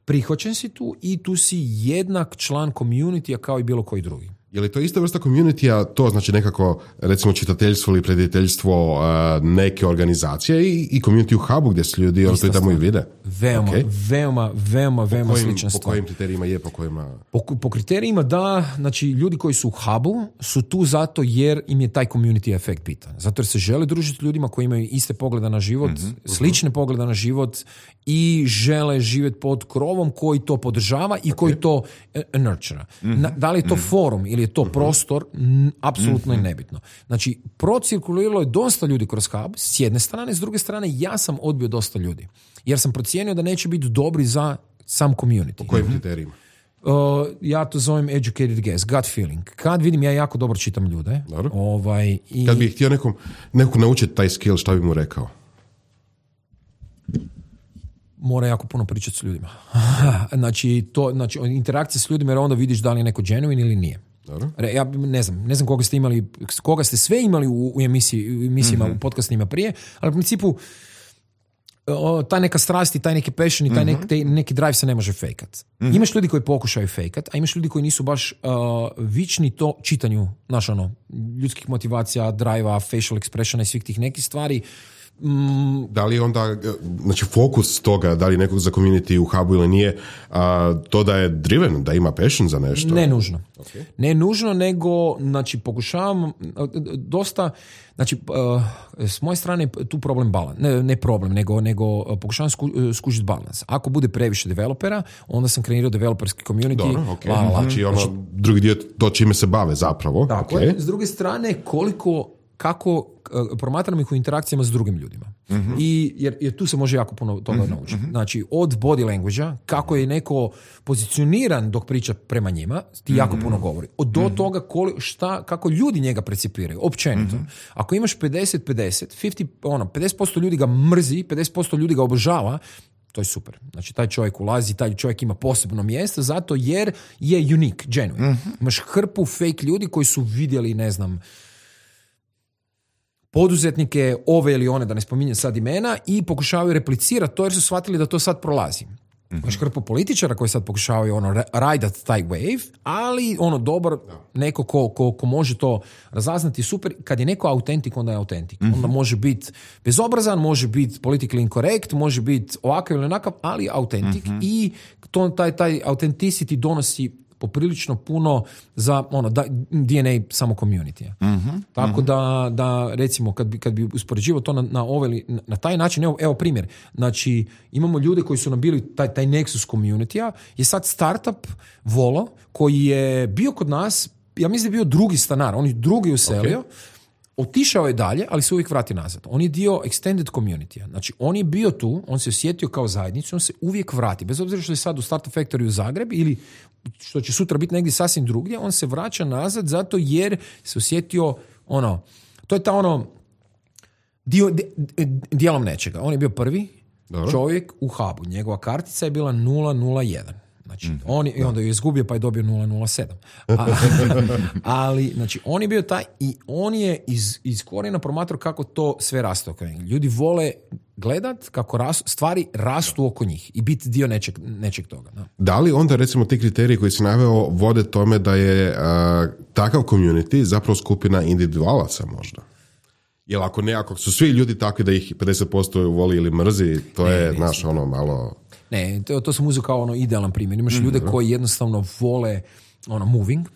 Speaker 3: Prihvaćen si tu i tu si jednak član community-a kao i bilo koji drugi.
Speaker 4: Je li to ista vrsta community-a, to znači nekako, recimo, čitateljstvo ili prediteljstvo uh, neke organizacije i, i community u hubu gdje su ljudi, ono to i tamo i vide?
Speaker 3: Veoma, okay. veoma, veoma, veoma
Speaker 4: po kojim,
Speaker 3: slična stvar.
Speaker 4: Po kojim kriterijima je, po kojima...
Speaker 3: Po, po kriterijima da, znači ljudi koji su u hubu su tu zato jer im je taj community efekt bitan. Zato jer se žele družiti ljudima koji imaju iste pogleda na život, mm-hmm, slične uh-huh. pogleda na život i žele živjeti pod krovom koji to podržava i okay. koji to uh, nurture. Mm-hmm. Na, da li je to mm-hmm. forum ili je to mm-hmm. prostor, m, apsolutno mm-hmm. je nebitno. Znači, procirkuliralo je dosta ljudi kroz hub, s jedne strane, s druge strane, ja sam odbio dosta ljudi. Jer sam procijenio da neće biti dobri za sam community.
Speaker 4: Po kojim kriterijima?
Speaker 3: Uh, ja to zovem educated guess, gut feeling. Kad vidim, ja jako dobro čitam ljude. Ovaj, i...
Speaker 4: Kad bih htio nekom, nekom naučiti taj skill, šta bi mu rekao?
Speaker 3: Mora jako puno pričati s ljudima. znači, to, znači, interakcija s ljudima, jer onda vidiš da li je neko genuine ili nije. Dobro. Ja ne znam, ne znam koga ste imali, koga ste sve imali u, u emisiji, u emisijama, mm-hmm. u podcastima prije, ali u principu o, taj neka strast i taj neki passion i taj mm-hmm. neki, neki drive se ne može fejkat. Mm-hmm. Imaš ljudi koji pokušaju fejkat, a imaš ljudi koji nisu baš uh, vični to čitanju, znaš ono, ljudskih motivacija, drive-a, facial expressiona i svih tih nekih stvari.
Speaker 4: Mm. Da li onda, znači fokus toga, da li nekog za community u hubu ili nije, a, to da je driven, da ima passion za nešto?
Speaker 3: Ne nužno. Okay. Ne nužno, nego, znači, pokušavam dosta, znači, uh, s moje strane tu problem balans, ne, ne problem, nego, nego pokušavam sku, skužiti balans. Ako bude previše developera, onda sam kreirao developerski community.
Speaker 4: Dobro, okay. la, la. Znači, ono, znači, drugi dio to čime se bave zapravo.
Speaker 3: Tako
Speaker 4: okay.
Speaker 3: je. S druge strane, koliko kako uh, promatram ih u interakcijama s drugim ljudima. Mm-hmm. I, jer, jer tu se može jako puno toga mm-hmm. naučiti. Znači, od body language-a, kako je neko pozicioniran dok priča prema njima, ti jako mm-hmm. puno govori. Od do mm-hmm. toga koli, šta, kako ljudi njega percipiraju, općenito. Mm-hmm. Ako imaš pedeset pedeset, pedeset, ono, pedeset posto ljudi ga mrzi, pedeset posto ljudi ga obožava, to je super. Znači, taj čovjek ulazi, taj čovjek ima posebno mjesto, zato jer je unique, genuine. Mm-hmm. Imaš hrpu fake ljudi koji su vidjeli, ne znam, poduzetnike, ove ili one, da ne spominjem sad imena, i pokušavaju replicirati to jer su shvatili da to sad prolazi. Imaš hrpu političara koji sad pokušavaju ono rajdat taj wave, ali ono dobar neko ko, ko, ko može to razaznati super. Kad je neko autentik, onda je autentik. Mm-hmm. Onda može biti bezobrazan, može biti politically incorrect, može biti ovakav ili onakav, ali autentik. Mm-hmm. I to, taj, taj authenticity donosi poprilično puno za ono, da, D N A samo community. Mm-hmm. Tako mm-hmm. da, da recimo kad bi, kad bi uspoređivao to na, na, ove, na taj način, evo, evo primjer, znači imamo ljude koji su nam bili taj, taj Nexus community-a, je sad startup Volo koji je bio kod nas, ja mislim da je bio drugi stanar, on je drugi uselio, okay. Otišao je dalje, ali se uvijek vrati nazad. On je dio extended community. Znači, on je bio tu, on se osjetio kao zajednicu, on se uvijek vrati. Bez obzira što je sad u Startup Factory u Zagreb ili što će sutra biti negdje sasvim drugdje, on se vraća nazad zato jer se osjetio ono, to je ta ono dio, dijelom nečega. On je bio prvi Dobro. čovjek u hubu. Njegova kartica je bila nula nula jedan. Znači, mm, on je, i onda ju je izgubio pa je dobio nula nula sedam. A, ali, znači, on je bio taj i on je iz, iz korijena promatrao kako to sve raste oko njih. Ljudi vole gledat kako ras, stvari rastu oko njih i biti dio nečeg, nečeg toga. Da.
Speaker 4: Da li onda, recimo, ti kriteriji koji si naveo vode tome da je uh, takav community zapravo skupina individualaca možda? Jer ako ne, ako su svi ljudi takvi da ih pedeset posto voli ili mrzi, to ne, je, ne, naš, ono, malo...
Speaker 3: Ne, to, to sam uzeo kao ono idealan primjer. Imaš mm-hmm. ljude koji jednostavno vole ono moving.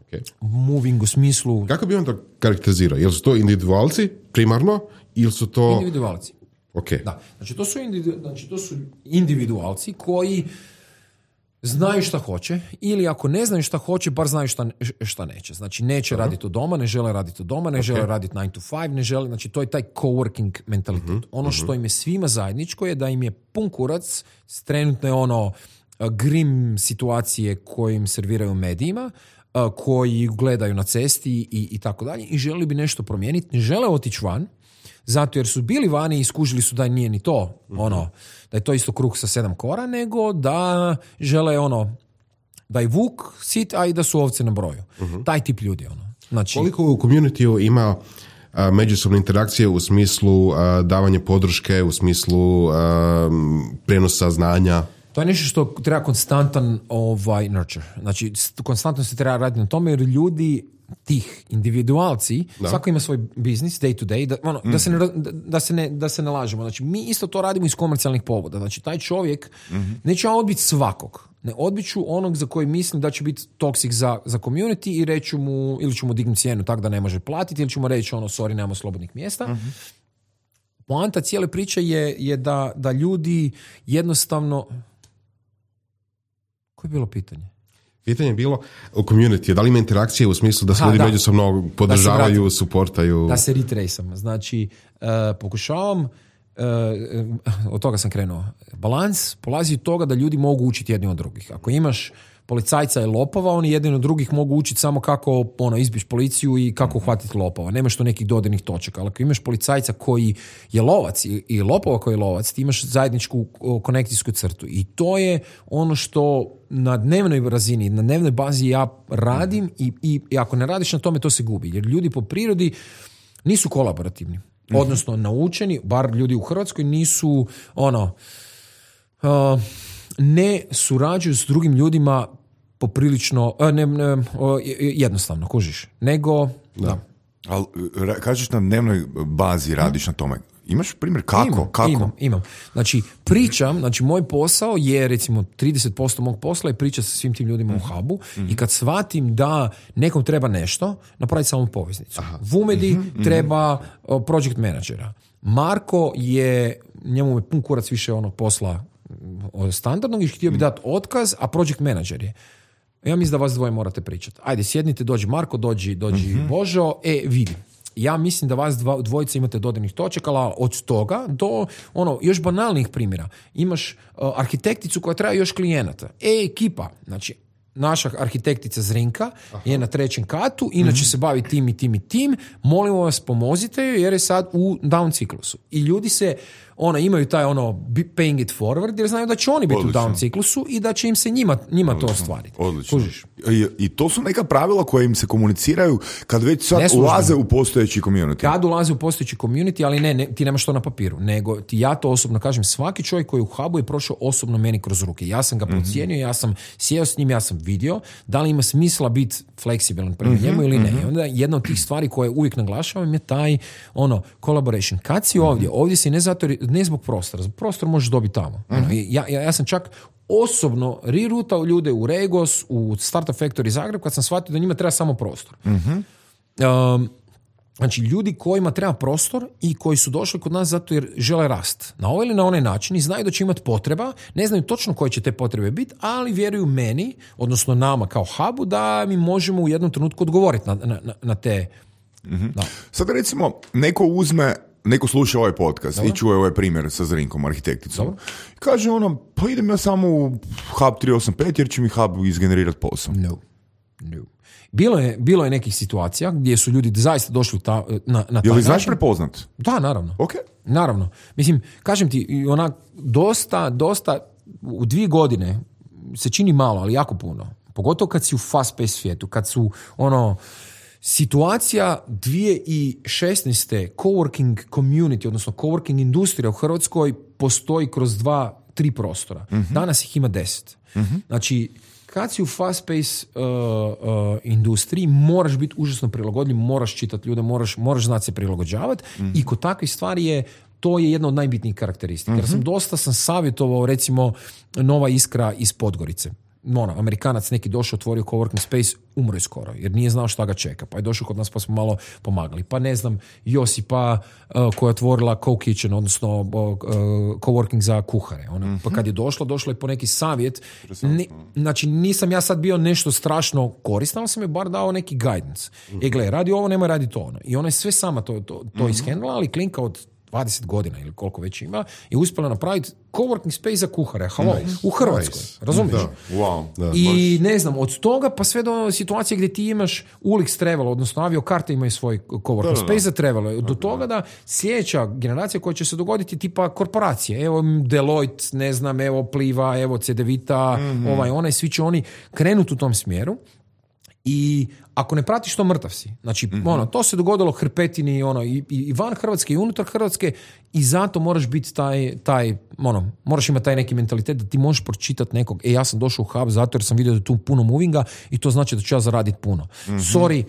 Speaker 3: Okay. Moving u smislu...
Speaker 4: Kako bi on to karakterizirao? Jel su to individualci primarno ili su to...
Speaker 3: Individualci.
Speaker 4: Okay.
Speaker 3: Da. Znači to, su individu... znači, to su individualci koji znaju šta hoće ili ako ne znaju šta hoće, bar znaju šta, šta neće. Znači neće uh-huh. raditi od doma, ne žele raditi od doma, ne okay. žele raditi nine to five, ne žele, znači to je taj coworking mentalitet. Uh-huh. Ono što im je svima zajedničko je da im je pun kurac s trenutne ono grim situacije koje im serviraju medijima, koji gledaju na cesti i, i tako dalje i želi bi nešto promijeniti, ne žele otići van, zato jer su bili vani i skužili su da nije ni to, mm-hmm. ono, da je to isto kruh sa sedam kora, nego da žele ono, da je vuk sit, a i da su ovce na broju. Mm-hmm. Taj tip ljudi, ono. Znači,
Speaker 4: koliko u community ima a, međusobne interakcije u smislu a, davanja podrške, u smislu a, prenosa znanja?
Speaker 3: To je nešto što treba konstantan ovaj, nurture. Znači, konstantno se treba raditi na tome, jer ljudi tih individualci, da. Svako ima svoj biznis day to day, da, ono, mm. da, se ne, da, da, se ne, da se ne lažemo. Znači, mi isto to radimo iz komercijalnih povoda. Znači, taj čovjek mm-hmm. neće ja odbiti svakog. Ne odbiću onog za koji mislim da će biti toksik za, za community i reću mu, ili ću mu dignuti cijenu tako da ne može platiti, ili ću mu reći ono, sorry, nemamo slobodnih mjesta. Mm-hmm. Poanta cijele priče je, je da, da ljudi jednostavno... Koje je bilo pitanje?
Speaker 4: Pitanje je bilo u community, da li ima interakcije u smislu da se ljudi međusobno podržavaju, da suportaju?
Speaker 3: Da se retraceam. Znači, uh, pokušavam, uh, od toga sam krenuo, balans polazi od toga da ljudi mogu učiti jedni od drugih. Ako imaš policajca i lopova, oni jedni od drugih mogu učiti samo kako ono, izbiš policiju i kako uhvatiti lopova. Nemaš tu nekih dodirnih točaka. Ali ako imaš policajca koji je lovac i, i lopova koji je lovac, ti imaš zajedničku konekcijsku crtu. I to je ono što na dnevnoj razini, na dnevnoj bazi ja radim i, i, i ako ne radiš na tome, to se gubi. Jer ljudi po prirodi nisu kolaborativni. Odnosno naučeni, bar ljudi u Hrvatskoj, nisu ono... Uh, ne surađuju s drugim ljudima poprilično ne, ne, jednostavno, kužiš, nego da. da.
Speaker 2: Ali kažeš na dnevnoj bazi radiš hmm. na tome. Imaš primjer kako?
Speaker 3: Imam,
Speaker 2: kako?
Speaker 3: imam, imam. Znači, pričam, znači moj posao je recimo trideset posto mog posla je priča sa svim tim ljudima mm-hmm. u hubu mm-hmm. i kad shvatim da nekom treba nešto, napraviti samo poveznicu. Aha. Vumedi mm-hmm. treba uh, project menadžera. Marko je, njemu je pun kurac više onog posla standardnog i htio bi dati otkaz, a project manager je. Ja mislim da vas dvoje morate pričati. Ajde, sjednite, dođi Marko, dođi, dođi mm-hmm. Božo, e, vidi. Ja mislim da vas dva, dvojica imate dodirnih točaka, ali od toga do ono, još banalnih primjera. Imaš uh, arhitekticu koja traje još klijenata. E, ekipa, znači, naša arhitektica Zrinka Aha. je na trećem katu, inače mm-hmm. se bavi tim i tim i tim, molimo vas pomozite joj jer je sad u down ciklusu. I ljudi se ono, imaju taj ono paying it forward, jer znaju da će oni biti
Speaker 2: Odlično.
Speaker 3: u down ciklusu i da će im se njima, njima to
Speaker 2: Odlično.
Speaker 3: ostvariti.
Speaker 2: Odlično.
Speaker 3: Kužiš?
Speaker 2: I, I to su neka pravila koje im se komuniciraju kad već sad
Speaker 3: Neslužbeno.
Speaker 2: ulaze u postojeći community.
Speaker 3: Kad ulaze u postojeći community, ali ne, ne, ti nemaš to na papiru, nego ti ja to osobno kažem, svaki čovjek koji je u hubu je prošao osobno meni kroz ruke. Ja sam ga procijenio, ja sam sjeo s njim, ja sam vidio da li ima smisla biti fleksibilan prema mm-hmm, njemu ili ne. I onda jedna od tih stvari koje uvijek naglašavam je taj ono, collaboration. Kad si ovdje, ovdje si ne, zato, ne zbog prostora, zbog prostora možeš dobiti tamo. Mm-hmm. Ono, ja, ja, ja sam čak osobno reroutao ljude u Regos, u Startup Factory Zagreb, kad sam shvatio da njima treba samo prostor.
Speaker 2: Mm-hmm.
Speaker 3: Um, Znači, ljudi kojima treba prostor i koji su došli kod nas zato jer žele rast. Na ovaj ili na onaj način i znaju da će imati potreba, ne znaju točno koje će te potrebe biti, ali vjeruju meni, odnosno nama kao hubu, da mi možemo u jednom trenutku odgovoriti na, na, na te...
Speaker 2: Mm-hmm.
Speaker 3: Da.
Speaker 2: Sad recimo, neko uzme, neko sluša ovaj podcast Dobro. i čuje ovaj primjer sa Zrinkom, arhitekticom. Dobro. Kaže ono, pa idem ja samo u Hub tri osam pet jer će mi Hub izgenerirati posao.
Speaker 3: No, no. Bilo je, bilo je nekih situacija gdje su ljudi zaista došli ta, na, na taj
Speaker 2: Je li znaš
Speaker 3: način.
Speaker 2: prepoznat?
Speaker 3: Da, naravno.
Speaker 2: Ok.
Speaker 3: Naravno. Mislim, kažem ti, onak, dosta, dosta, u dvije godine se čini malo, ali jako puno. Pogotovo kad si u fast-paced svijetu, kad su, ono, situacija dvije tisuće šesnaeste coworking community, odnosno coworking industrija u Hrvatskoj postoji kroz dva, tri prostora. Mm-hmm. Danas ih ima deset. Mm-hmm. Znači, kad si u fast-paced uh, uh, industriji, moraš biti užasno prilagodljiv, moraš čitati ljude, moraš, moraš znati se prilagođavati mm-hmm. i kod takvih stvari je to je jedna od najbitnijih karakteristika. Mm-hmm. Jer sam dosta sam savjetovao, recimo, Nova Iskra iz Podgorice. Ono, Amerikanac neki došao, otvorio coworking space, umro je skoro, jer nije znao šta ga čeka. Pa je došao kod nas pa smo malo pomagali. Pa ne znam, Josipa uh, koja je otvorila co-kitchen, odnosno uh, uh, coworking za kuhare. Ona, mm-hmm. Pa kad je došla, došla je po neki savjet. Ni, znači, nisam ja sad bio nešto strašno koristan, ali sam je bar dao neki guidance. Mm-hmm. E, gle, radi ovo, nemoj radi to ono. I ona je sve sama to, to, to mm-hmm. ishendla, ali klinka od dvadeset godina ili koliko već ima i uspjela napraviti coworking space za kuhare. Halo, nice. U Hrvatskoj. Nice. Razumiješ?
Speaker 2: Da. Wow. Da,
Speaker 3: I baš. Ne znam, od toga pa sve do situacije gdje ti imaš Ulix Travel, odnosno aviokarte imaju svoj coworking da, da, space da. za travel. Do toga da sljedeća generacija koja će se dogoditi tipa korporacije. Evo Deloitte, ne znam, evo Pliva, evo Cedevita, mm-hmm. ovaj, onaj, svi će oni krenuti u tom smjeru. I ako ne pratiš to, mrtav si. Znači, mm-hmm. ono, to se dogodilo Hrpetini, ono, i, i van Hrvatske i unutar Hrvatske i zato moraš biti taj, taj, ono, moraš imati taj neki mentalitet da ti možeš pročitati nekog, e, ja sam došao u hub zato jer sam vidio da je tu puno movinga i to znači da ću ja zaraditi puno. Mm-hmm. Sorry,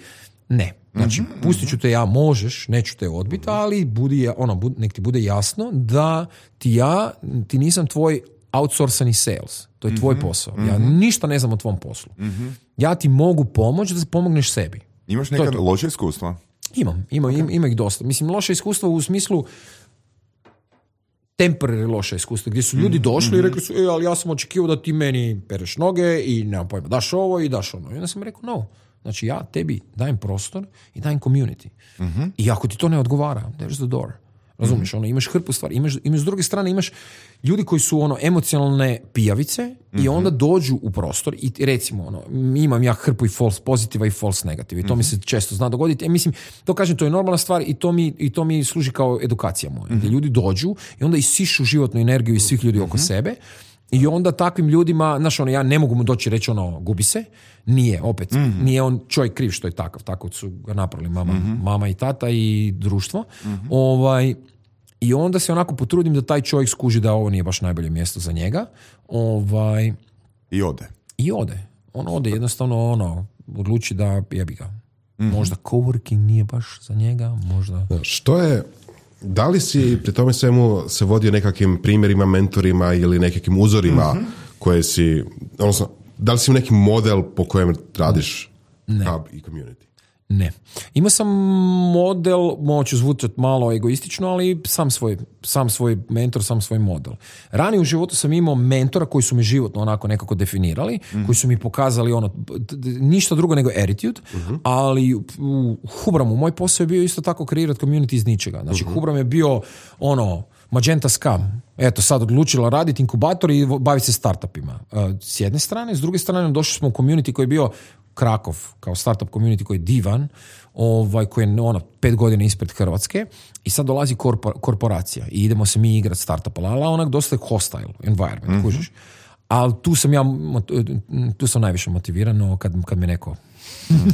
Speaker 3: ne. Znači, mm-hmm. pustit ću te ja, možeš, neću te odbiti, ali budi, ono, bud, nek ti bude jasno da ti ja, ti nisam tvoj outsourcani sales. To je tvoj mm-hmm. posao. Ja mm-hmm. ništa ne znam o tvom poslu. Mm-hmm. Ja ti mogu pomoći da se pomogneš sebi.
Speaker 2: Imaš neka loše iskustva? Imam,
Speaker 3: imam, okay. ima ih dosta. Mislim, loše iskustva u smislu temporary loše iskustva, gdje su ljudi došli mm-hmm. i rekli su, e, ali ja sam očekivao da ti meni pereš noge i nemam pojma, daš ovo i daš ono. I onda sam rekao, no. Znači, ja tebi dajem prostor i dajem community. Mm-hmm. I ako ti to ne odgovara, there's the door. Razumiješ, ono, imaš hrpu stvari, imaš, imaš s druge strane, imaš ljudi koji su ono emocionalne pijavice mm-hmm. i onda dođu u prostor i recimo, ono, imam ja hrpu i false pozitiva i false negativa i to mm-hmm. mi se često zna dogoditi. E, mislim, to kažem, to je normalna stvar i to mi, i to mi služi kao edukacija moja. Mm-hmm. Gdje ljudi dođu i onda isišu životnu energiju iz svih ljudi mm-hmm. oko sebe i onda takvim ljudima, znaš, ono, ja ne mogu mu doći reći ono, gubi se, nije, opet, mm-hmm. nije on čovjek kriv što je takav, tako su ga napravili mama, mm-hmm. mama i tata i društvo. Mm-hmm. Ovaj, i onda se onako potrudim da taj čovjek skuži da ovo nije baš najbolje mjesto za njega. Ovaj,
Speaker 2: I ode.
Speaker 3: I ode. On ode, jednostavno ono, odluči da jebi ga. Mm-hmm. Možda coworking nije baš za njega, možda...
Speaker 4: Što je, da li si pri tome svemu se vodio nekakvim primjerima, mentorima ili nekakvim uzorima mm-hmm. koje si, odnosno, da li si neki model po kojem radiš
Speaker 3: ne.
Speaker 4: Hub i community?
Speaker 3: Ne. Imao sam model, moću zvučati malo egoistično, ali sam svoj, sam svoj mentor, sam svoj model. Ranije u životu sam imao mentora koji su mi životno onako nekako definirali, mm-hmm. koji su mi pokazali ono, ništa drugo nego attitude, mm-hmm. ali u Hubramu moj posao je bio isto tako kreirati community iz ničega. Znači mm-hmm. Hubram je bio ono, Magenta Scam. Eto, sad odlučila raditi inkubator i baviti se startupima. S jedne strane, s druge strane došli smo u community koji je bio Krakov kao startup community koji je divan, ovaj, koji je ono, pet godina ispred Hrvatske i sad dolazi korpor, korporacija i idemo se mi igrati startupa, ali onak dosta je hostile environment, mm-hmm. kužiš. Ali tu sam ja, tu sam najviše motiviran kad, kad me neko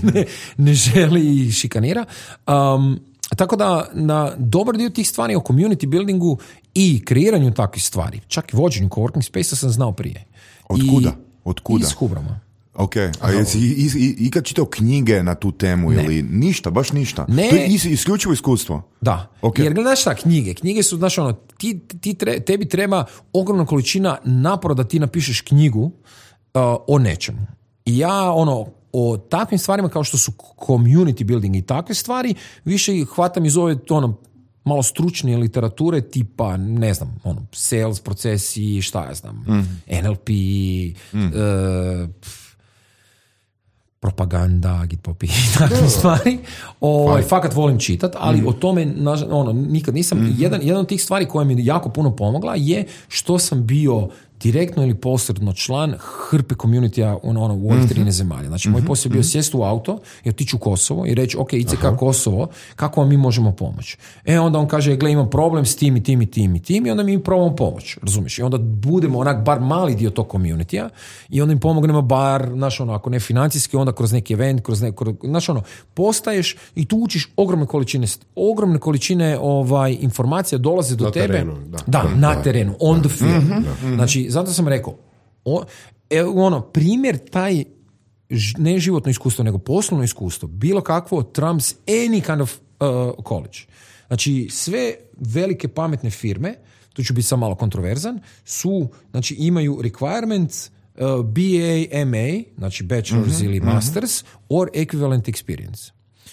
Speaker 3: ne, ne želi i šikanira. Um, tako da na dobar dio tih stvari o community buildingu i kreiranju takvih stvari, čak i vođenju coworking space sam znao prije.
Speaker 2: Od kuda? Od kuda?
Speaker 3: Iz Hubrama.
Speaker 2: Ok, a jesi i, i, ikad čitao knjige na tu temu ne. Ili ništa, baš ništa?
Speaker 3: Ne.
Speaker 2: To je is, isključivo iskustvo?
Speaker 3: Da, okay. Jer gledaš šta, knjige, knjige su, znaš ono, ti, ti tre, tebi treba ogromna količina napora da ti napišeš knjigu uh, o nečemu. I ja, ono, o takvim stvarima kao što su community building i takve stvari, više ih hvatam iz ove, ono, malo stručnije literature tipa, ne znam, ono, sales procesi, šta ja znam, mm. N L P, mm. uh, propaganda, gitpop i takve stvari. O, fakat volim čitat, ali mm. o tome ono, nikad nisam. Mm-hmm. Jedan, jedan od tih stvari koja mi jako puno pomogla je što sam bio direktno ili posredno član hrpe community-a ono, u ovih trinaest mm-hmm. zemalja. Znači, moj posao je bio sjesti u auto i otići u Kosovo i reći, ok, I C K Aha. Kosovo, kako vam mi možemo pomoći? E, onda on kaže, gle, imam problem s tim i tim i tim i tim i onda mi probamo pomoć, razumiješ? I onda budemo onak bar mali dio tog community-a i onda im pomognemo bar, znaš ono, ako ne financijski, onda kroz neki event, kroz neko, znaš ono, postaješ i tu učiš ogromne količine, ogromne količine ovaj, informacija dolaze do
Speaker 4: na
Speaker 3: tebe.
Speaker 4: Terenu, da.
Speaker 3: Da, da, na terenu, on the field. Mm-hmm. Znači, zato sam rekao, o, e, ono, primjer taj ne životno iskustvo, nego poslovno iskustvo, bilo kakvo trumps any kind of uh, college. Znači, sve velike pametne firme, tu ću biti sam malo kontroverzan, su, znači, imaju requirement uh, B A, M A, znači bachelor's mm-hmm, ili masters, mm-hmm. or equivalent experience.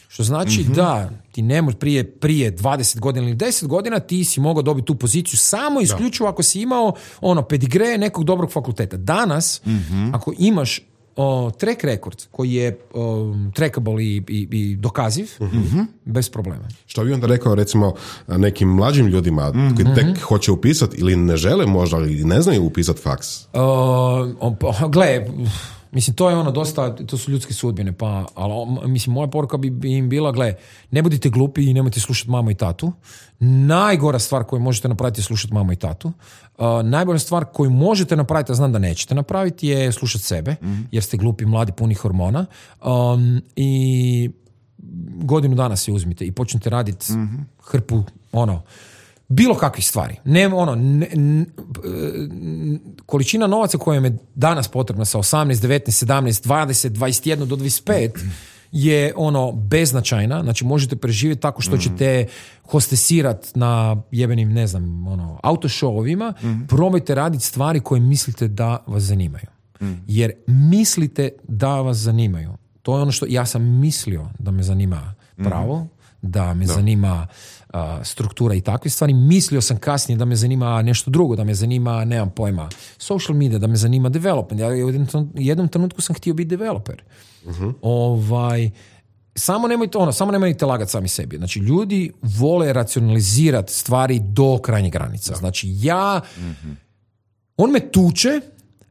Speaker 3: Što znači mm-hmm. da ti ne možeš prije, prije dvadeset godina ili deset godina ti si mogao dobiti tu poziciju samo isključivo ako si imao ono pedigre nekog dobrog fakulteta. Danas, mm-hmm. ako imaš o, track record koji je o, trackable i, i, i dokaziv, mm-hmm. bez problema. Što
Speaker 4: bi onda rekao recimo nekim mlađim ljudima mm-hmm. koji tek hoće upisati ili ne žele možda ili ne znaju upisati faks?
Speaker 3: Uh, gle, mislim, to je ono dosta, to su ljudske sudbine, pa, ali mislim, moja poruka bi, bi im bila, gle, ne budite glupi i nemojte slušati mamu i tatu. Najgora stvar koju možete napraviti je slušati mamu i tatu. Uh, najbolja stvar koju možete napraviti, a znam da nećete napraviti, je slušati sebe, mm-hmm. jer ste glupi, mladi, puni hormona. Um, I godinu dana se uzmite i počnete raditi mm-hmm. hrpu, ono, bilo kakvih stvari. Ne, ono, ne, ne, količina novaca koja je danas potrebna sa osamnaest, devetnaest, sedamnaest, dvadeset, dvadeset jedan do dvadeset pet je ono beznačajna. Znači možete preživjeti tako što ćete hostesirati na jebenim, ne znam, ono, autošovima. Mm-hmm. Probajte raditi stvari koje mislite da vas zanimaju. Mm-hmm. Jer mislite da vas zanimaju. To je ono što ja sam mislio da me zanima pravo, mm-hmm. da me da. zanima uh, struktura i takve stvari. Mislio sam kasnije da me zanima nešto drugo, da me zanima, nemam pojma, social media, da me zanima development. Ja u jednom trenutku sam htio biti developer. Uh-huh. Ovaj, samo nemojte ono, samo nemojte lagati sami sebi. Znači, ljudi vole racionalizirati stvari do krajnjih granica. Znači, ja uh-huh. on me tuče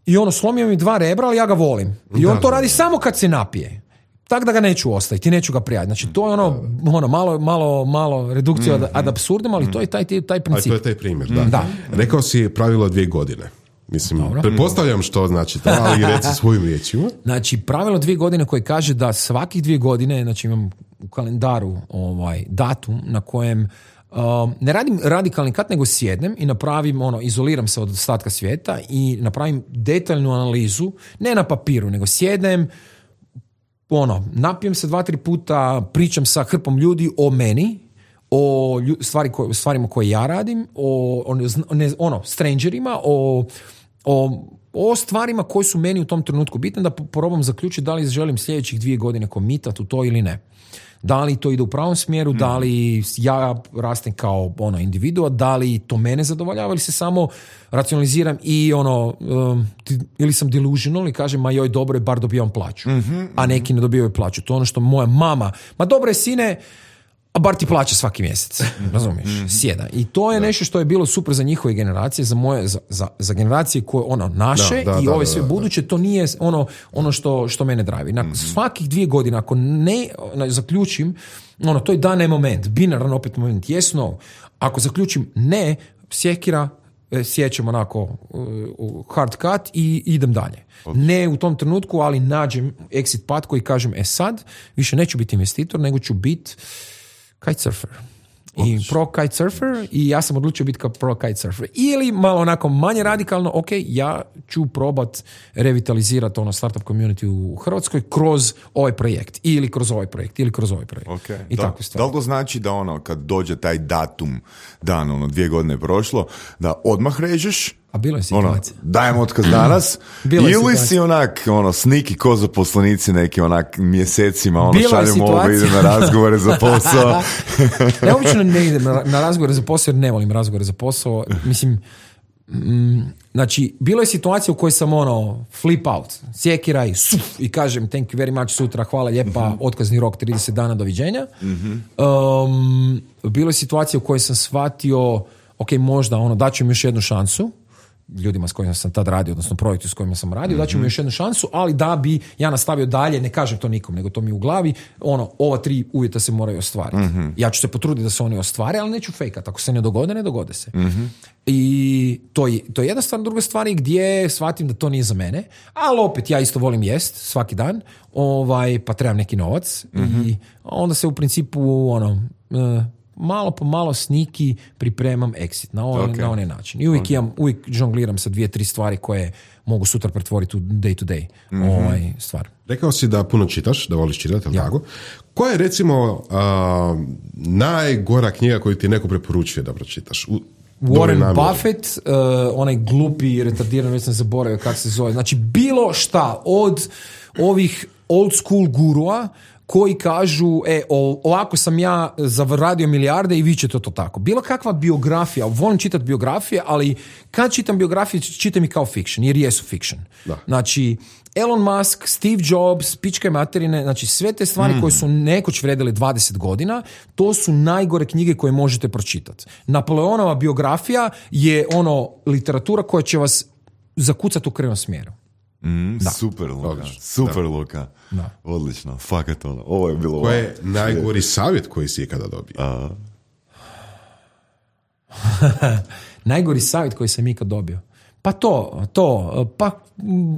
Speaker 3: i ono, slomio mi dva rebra, ali ja ga volim. I on da, to radi da. samo kad se napije. Tako da ga neću ostaviti i neću ga prijati. Znači, to je ono, ono malo, malo, malo redukcija mm, ad absurdum, ali mm. to je taj, taj princip.
Speaker 4: A to je taj primjer, da.
Speaker 3: da.
Speaker 4: Rekao si pravilo dvije godine. Mislim, Dobro. pretpostavljam što znači to, ali reci svojim riječima.
Speaker 3: Znači, pravilo dvije godine koje kaže da svakih dvije godine, znači imam u kalendaru ovaj, datum na kojem Um, ne radim radikalni kat, nego sjednem i napravim, ono, izoliram se od ostatka svijeta i napravim detaljnu analizu, ne na papiru, nego sjednem, ono, napijem se dva, tri puta, pričam sa hrpom ljudi o meni, o stvari ko, stvarima koje ja radim, o, o ne, ono, strangerima, o, o, o stvarima koje su meni u tom trenutku bitne, da probam zaključiti da li želim sljedećih dvije godine komitati u to ili ne. Da li to ide u pravom smjeru, mm. da li ja rastem kao ono individua, da li to mene zadovoljava ili se samo racionaliziram i ono, um, ili sam delusional i kažem, ma joj, dobro je, bar dobivam plaću. Mm-hmm, a neki ne dobivaju plaću. To je ono što moja mama, ma dobro je, sine, a bar ti plaća svaki mjesec, razumiješ, sjeda. I to je da. nešto što je bilo super za njihove generacije, za moje, za, za, za generacije koje, ono, naše da, da, i da, ove sve da, da, buduće, to nije ono, ono što, što mene drivi. Na mm-hmm. svakih dvije godine, ako ne zaključim, ono, to je da ne moment, binaran opet moment, yes, no. Ako zaključim ne, sjekira, sjećam onako uh, hard cut i idem dalje. Okay. Ne u tom trenutku, ali nađem exit path koji kažem, e sad, više neću biti investitor, nego ću biti kitesurfer. I pro kitesurfer i ja sam odlučio biti kao pro kitesurfer. Ili malo onako manje radikalno, ok, ja ću probat revitalizirati ono startup community u Hrvatskoj kroz ovaj projekt. Ili kroz ovaj projekt, ili kroz ovaj projekt.
Speaker 2: Okay.
Speaker 3: I
Speaker 2: da,
Speaker 3: tako
Speaker 2: da li to znači da ono, kad dođe taj datum, dan, ono, dvije godine je prošlo, da odmah režeš?
Speaker 3: A bilo je situacija.
Speaker 2: Ono, dajem otkaz danas. Ili si onak, ono, sniki ko zaposlenici neki onak mjesecima, ono, šaljemo ovo, idem na razgovore za posao.
Speaker 3: Ja obično ne idem na, na razgovore za posao jer ne volim razgovore za posao. Mislim, mm, znači, bilo je situacija u kojoj sam ono, flip out, sjekiraj, suf, i kažem thank you very much, sutra, hvala lijepa, mm-hmm. otkazni rok trideset dana, doviđenja. Mm-hmm. Um, bilo je situacija u kojoj sam shvatio, ok, možda, ono, daću im još jednu šansu, ljudima s kojima sam tad radio, odnosno projektu s kojima sam radio, mm-hmm. daću mi još jednu šansu, ali da bi ja nastavio dalje, ne kažem to nikom, nego to mi u glavi, ono, ova tri uvjeta se moraju ostvariti. Mm-hmm. Ja ću se potruditi da se oni ostvare, ali neću fejkat. Ako se ne dogode, ne dogode se. Mm-hmm. I to je, to je jedna stvar. Druga stvar je gdje shvatim da to nije za mene, ali opet ja isto volim jest svaki dan, ovaj, pa trebam neki novac mm-hmm. i onda se u principu ono... Uh, malo po malo sniki pripremam exit na onaj okay. na onaj način. I uvijek, okay. imam, uvijek žongliram sa dvije, tri stvari koje mogu sutra pretvoriti u day to day mm-hmm. ovaj stvar.
Speaker 4: Rekao si da puno čitaš, da voliš čitati, ali ja. tako? Koja je recimo uh, najgora knjiga koju ti neko preporučuje da pročitaš? U,
Speaker 3: Warren Buffett, uh, onaj glupi, retardiran, već sam zaboravio kako se zove. Znači, bilo šta od ovih old school gurua koji kažu, e, ovako sam ja zaradio milijarde i vi ćete to tako. Bilo kakva biografija, volim čitati biografije, ali kad čitam biografije, čitam i kao fiction, jer jesu fiction. Da. Znači, Elon Musk, Steve Jobs, pičke materine, znači sve te stvari mm. koje su nekoć vredile dvadeset godina, to su najgore knjige koje možete pročitati. Napoleonova biografija je ono literatura koja će vas zakucati u krivom smjeru.
Speaker 2: Mm, super, Luka. Odlično. Super, da. Luka. Da. Odlično. Fakat ono. Ovo je bilo...
Speaker 4: Koji je najgori savjet koji si ikada dobio? A...
Speaker 3: najgori savjet koji sam ikad dobio? Pa to, to, pa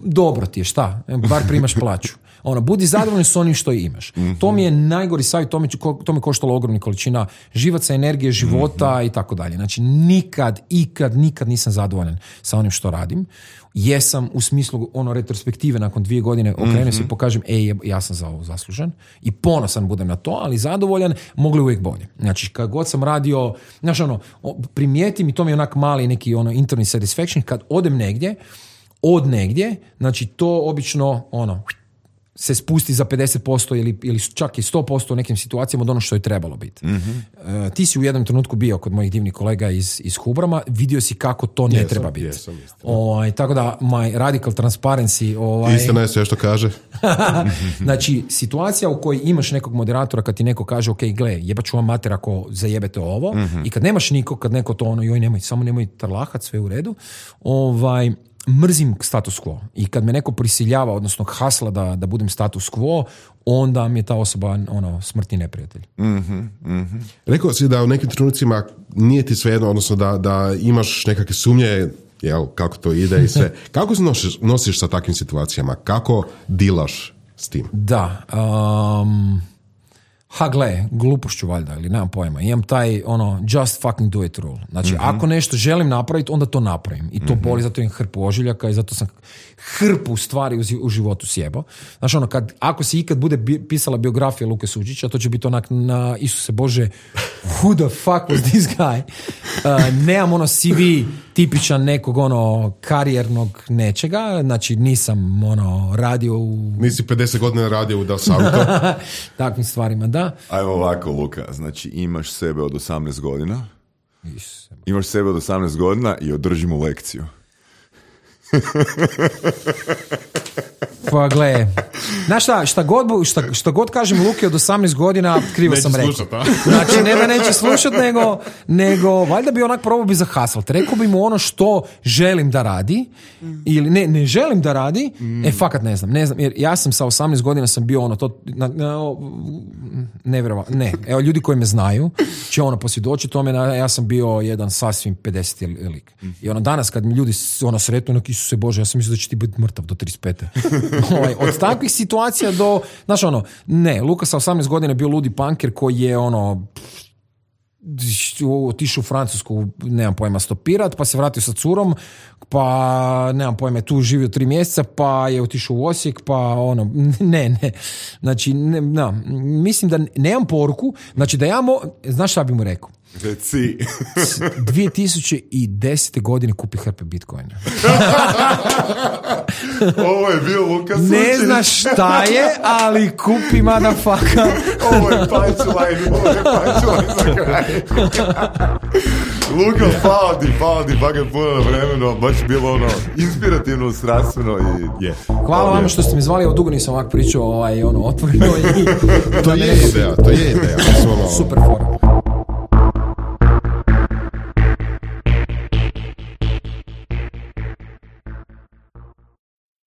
Speaker 3: dobro ti je, šta? Bar primaš plaću. Ono, budi zadovoljan s onim što imaš. Mm-hmm. To mi je najgori savjet, to mi, to mi koštalo ogromna količina živaca, energije, života mm-hmm. i tako dalje. Znači, nikad, ikad, nikad nisam zadovoljan sa onim što radim. Jesam u smislu ono retrospektive nakon dvije godine okrenem mm-hmm. se i pokažem, ej, ja sam za ovo zaslužan i ponosan budem na to, ali zadovoljan, mogli uvijek bolje. Znači, kad god sam radio, znaš ono, primijetim i to mi je onak mali neki ono interni satisfaction, kad odem negdje, od negdje, znači to obično ono, se spusti za pedeset posto ili, ili čak i sto posto u nekim situacijama od ono što je trebalo biti. Mm-hmm. E, ti si u jednom trenutku bio kod mojih divnih kolega iz, iz Hubrama, vidio si kako to ne
Speaker 4: jesam,
Speaker 3: treba biti.
Speaker 4: Jesam,
Speaker 3: ovaj, tako da, my radical transparency... Ovaj,
Speaker 4: istina je sve što kaže.
Speaker 3: Znači, situacija u kojoj imaš nekog moderatora kad ti neko kaže, ok, gle, jebat ću vam mater ako zajebete ovo, mm-hmm. i kad nemaš nikog, kad neko to ono, joj, nemoj, samo nemoj tarlahat, sve u redu, ovaj... mrzim status quo i kad me neko prisiljava, odnosno hasla da, da budem status quo, onda mi je ta osoba ono, smrtni neprijatelj.
Speaker 2: Mm-hmm, mm-hmm.
Speaker 4: Rekao si da u nekim trenucima nije ti svejedno, odnosno da, da imaš nekakve sumnje, jel, kako to ide i sve. Kako se nosiš, nosiš sa takvim situacijama? Kako dilaš s tim?
Speaker 3: Da, um, ha gle, glupošću valjda, ili nemam pojma. Imam taj, ono, just fucking do it rule. Znači, mm-hmm. ako nešto želim napraviti, onda to napravim. I to mm-hmm. boli, zato imam hrpu ožiljaka i zato sam hrpu stvari u, u životu sjebo. Znači, ono, kad, ako se ikad bude bi, pisala biografija Luke Suđića, to će biti onak na Isuse Bože, who the fuck was this guy? Uh, nemam ono C V tipičan nekog ono karijernog nečega, znači nisam ono radio u...
Speaker 4: Nisi pedeset godina radio u Da Savito.
Speaker 3: Takvim stvarima, da.
Speaker 2: Ajmo ovako, Luka, znači imaš sebe od osamnaest godina,
Speaker 3: Isuse.
Speaker 2: imaš sebe od osamnaest godina i održi mu lekciju.
Speaker 3: Pa gle, Znaš šta, šta god, bu- šta, šta god kažem Luki od osamnaest godina, krivo
Speaker 4: Neće
Speaker 3: sam rekao.
Speaker 4: slušat, a?
Speaker 3: Znači, ne da neće slušat, nego, nego valjda bi onak probao bi zahaslat. Rekao bi mu ono što želim da radi, ili ne, ne želim da radi, e, fakat ne znam, ne znam, jer ja sam sa osamnaest godina sam bio ono, to, na, na, nevjerova, ne, evo, ljudi koji me znaju će ono posvjedočiti tome, na- ja sam bio jedan sasvim pedeseti lik. I ono, danas kad mi ljudi s- ono sretnu, onak, Isuse Bože, ja sam mislio da će ti biti mrtav do trideset pete Ovaj, od takvih situacija do, znaš ono, ne, Luka sa osamnaest godina je bio ludi punker koji je ono, otišao u Francusku, nemam pojma, stopirat, pa se vratio sa curom, pa nemam pojma, je tu živio tri mjeseca, pa je otišao u Osijek, pa ono, ne, ne, znači, ne, no, mislim da nemam poruku, znači da ja mo, znaš šta bi mu rekao?
Speaker 2: Reci.
Speaker 3: dvije tisuće desete godine kupi hrpe bitcoina.
Speaker 2: Ovo je bio Luka
Speaker 3: Ne
Speaker 2: Sučić.
Speaker 3: znaš šta je, ali kupi motherfucker.
Speaker 2: Ovo je punchline, ovo je punchline za kraj. Luka, hvala ti, hvala ti, bagat puno na vremenu, baš je bilo ono, inspirativno, strastveno i je.
Speaker 3: Hvala vam što ste mi zvali, ovo dugo nisam ovako pričao ovaj, ono, otvoreno i
Speaker 4: To je ideja, to je ideja. Mislim, ono,
Speaker 3: super fora.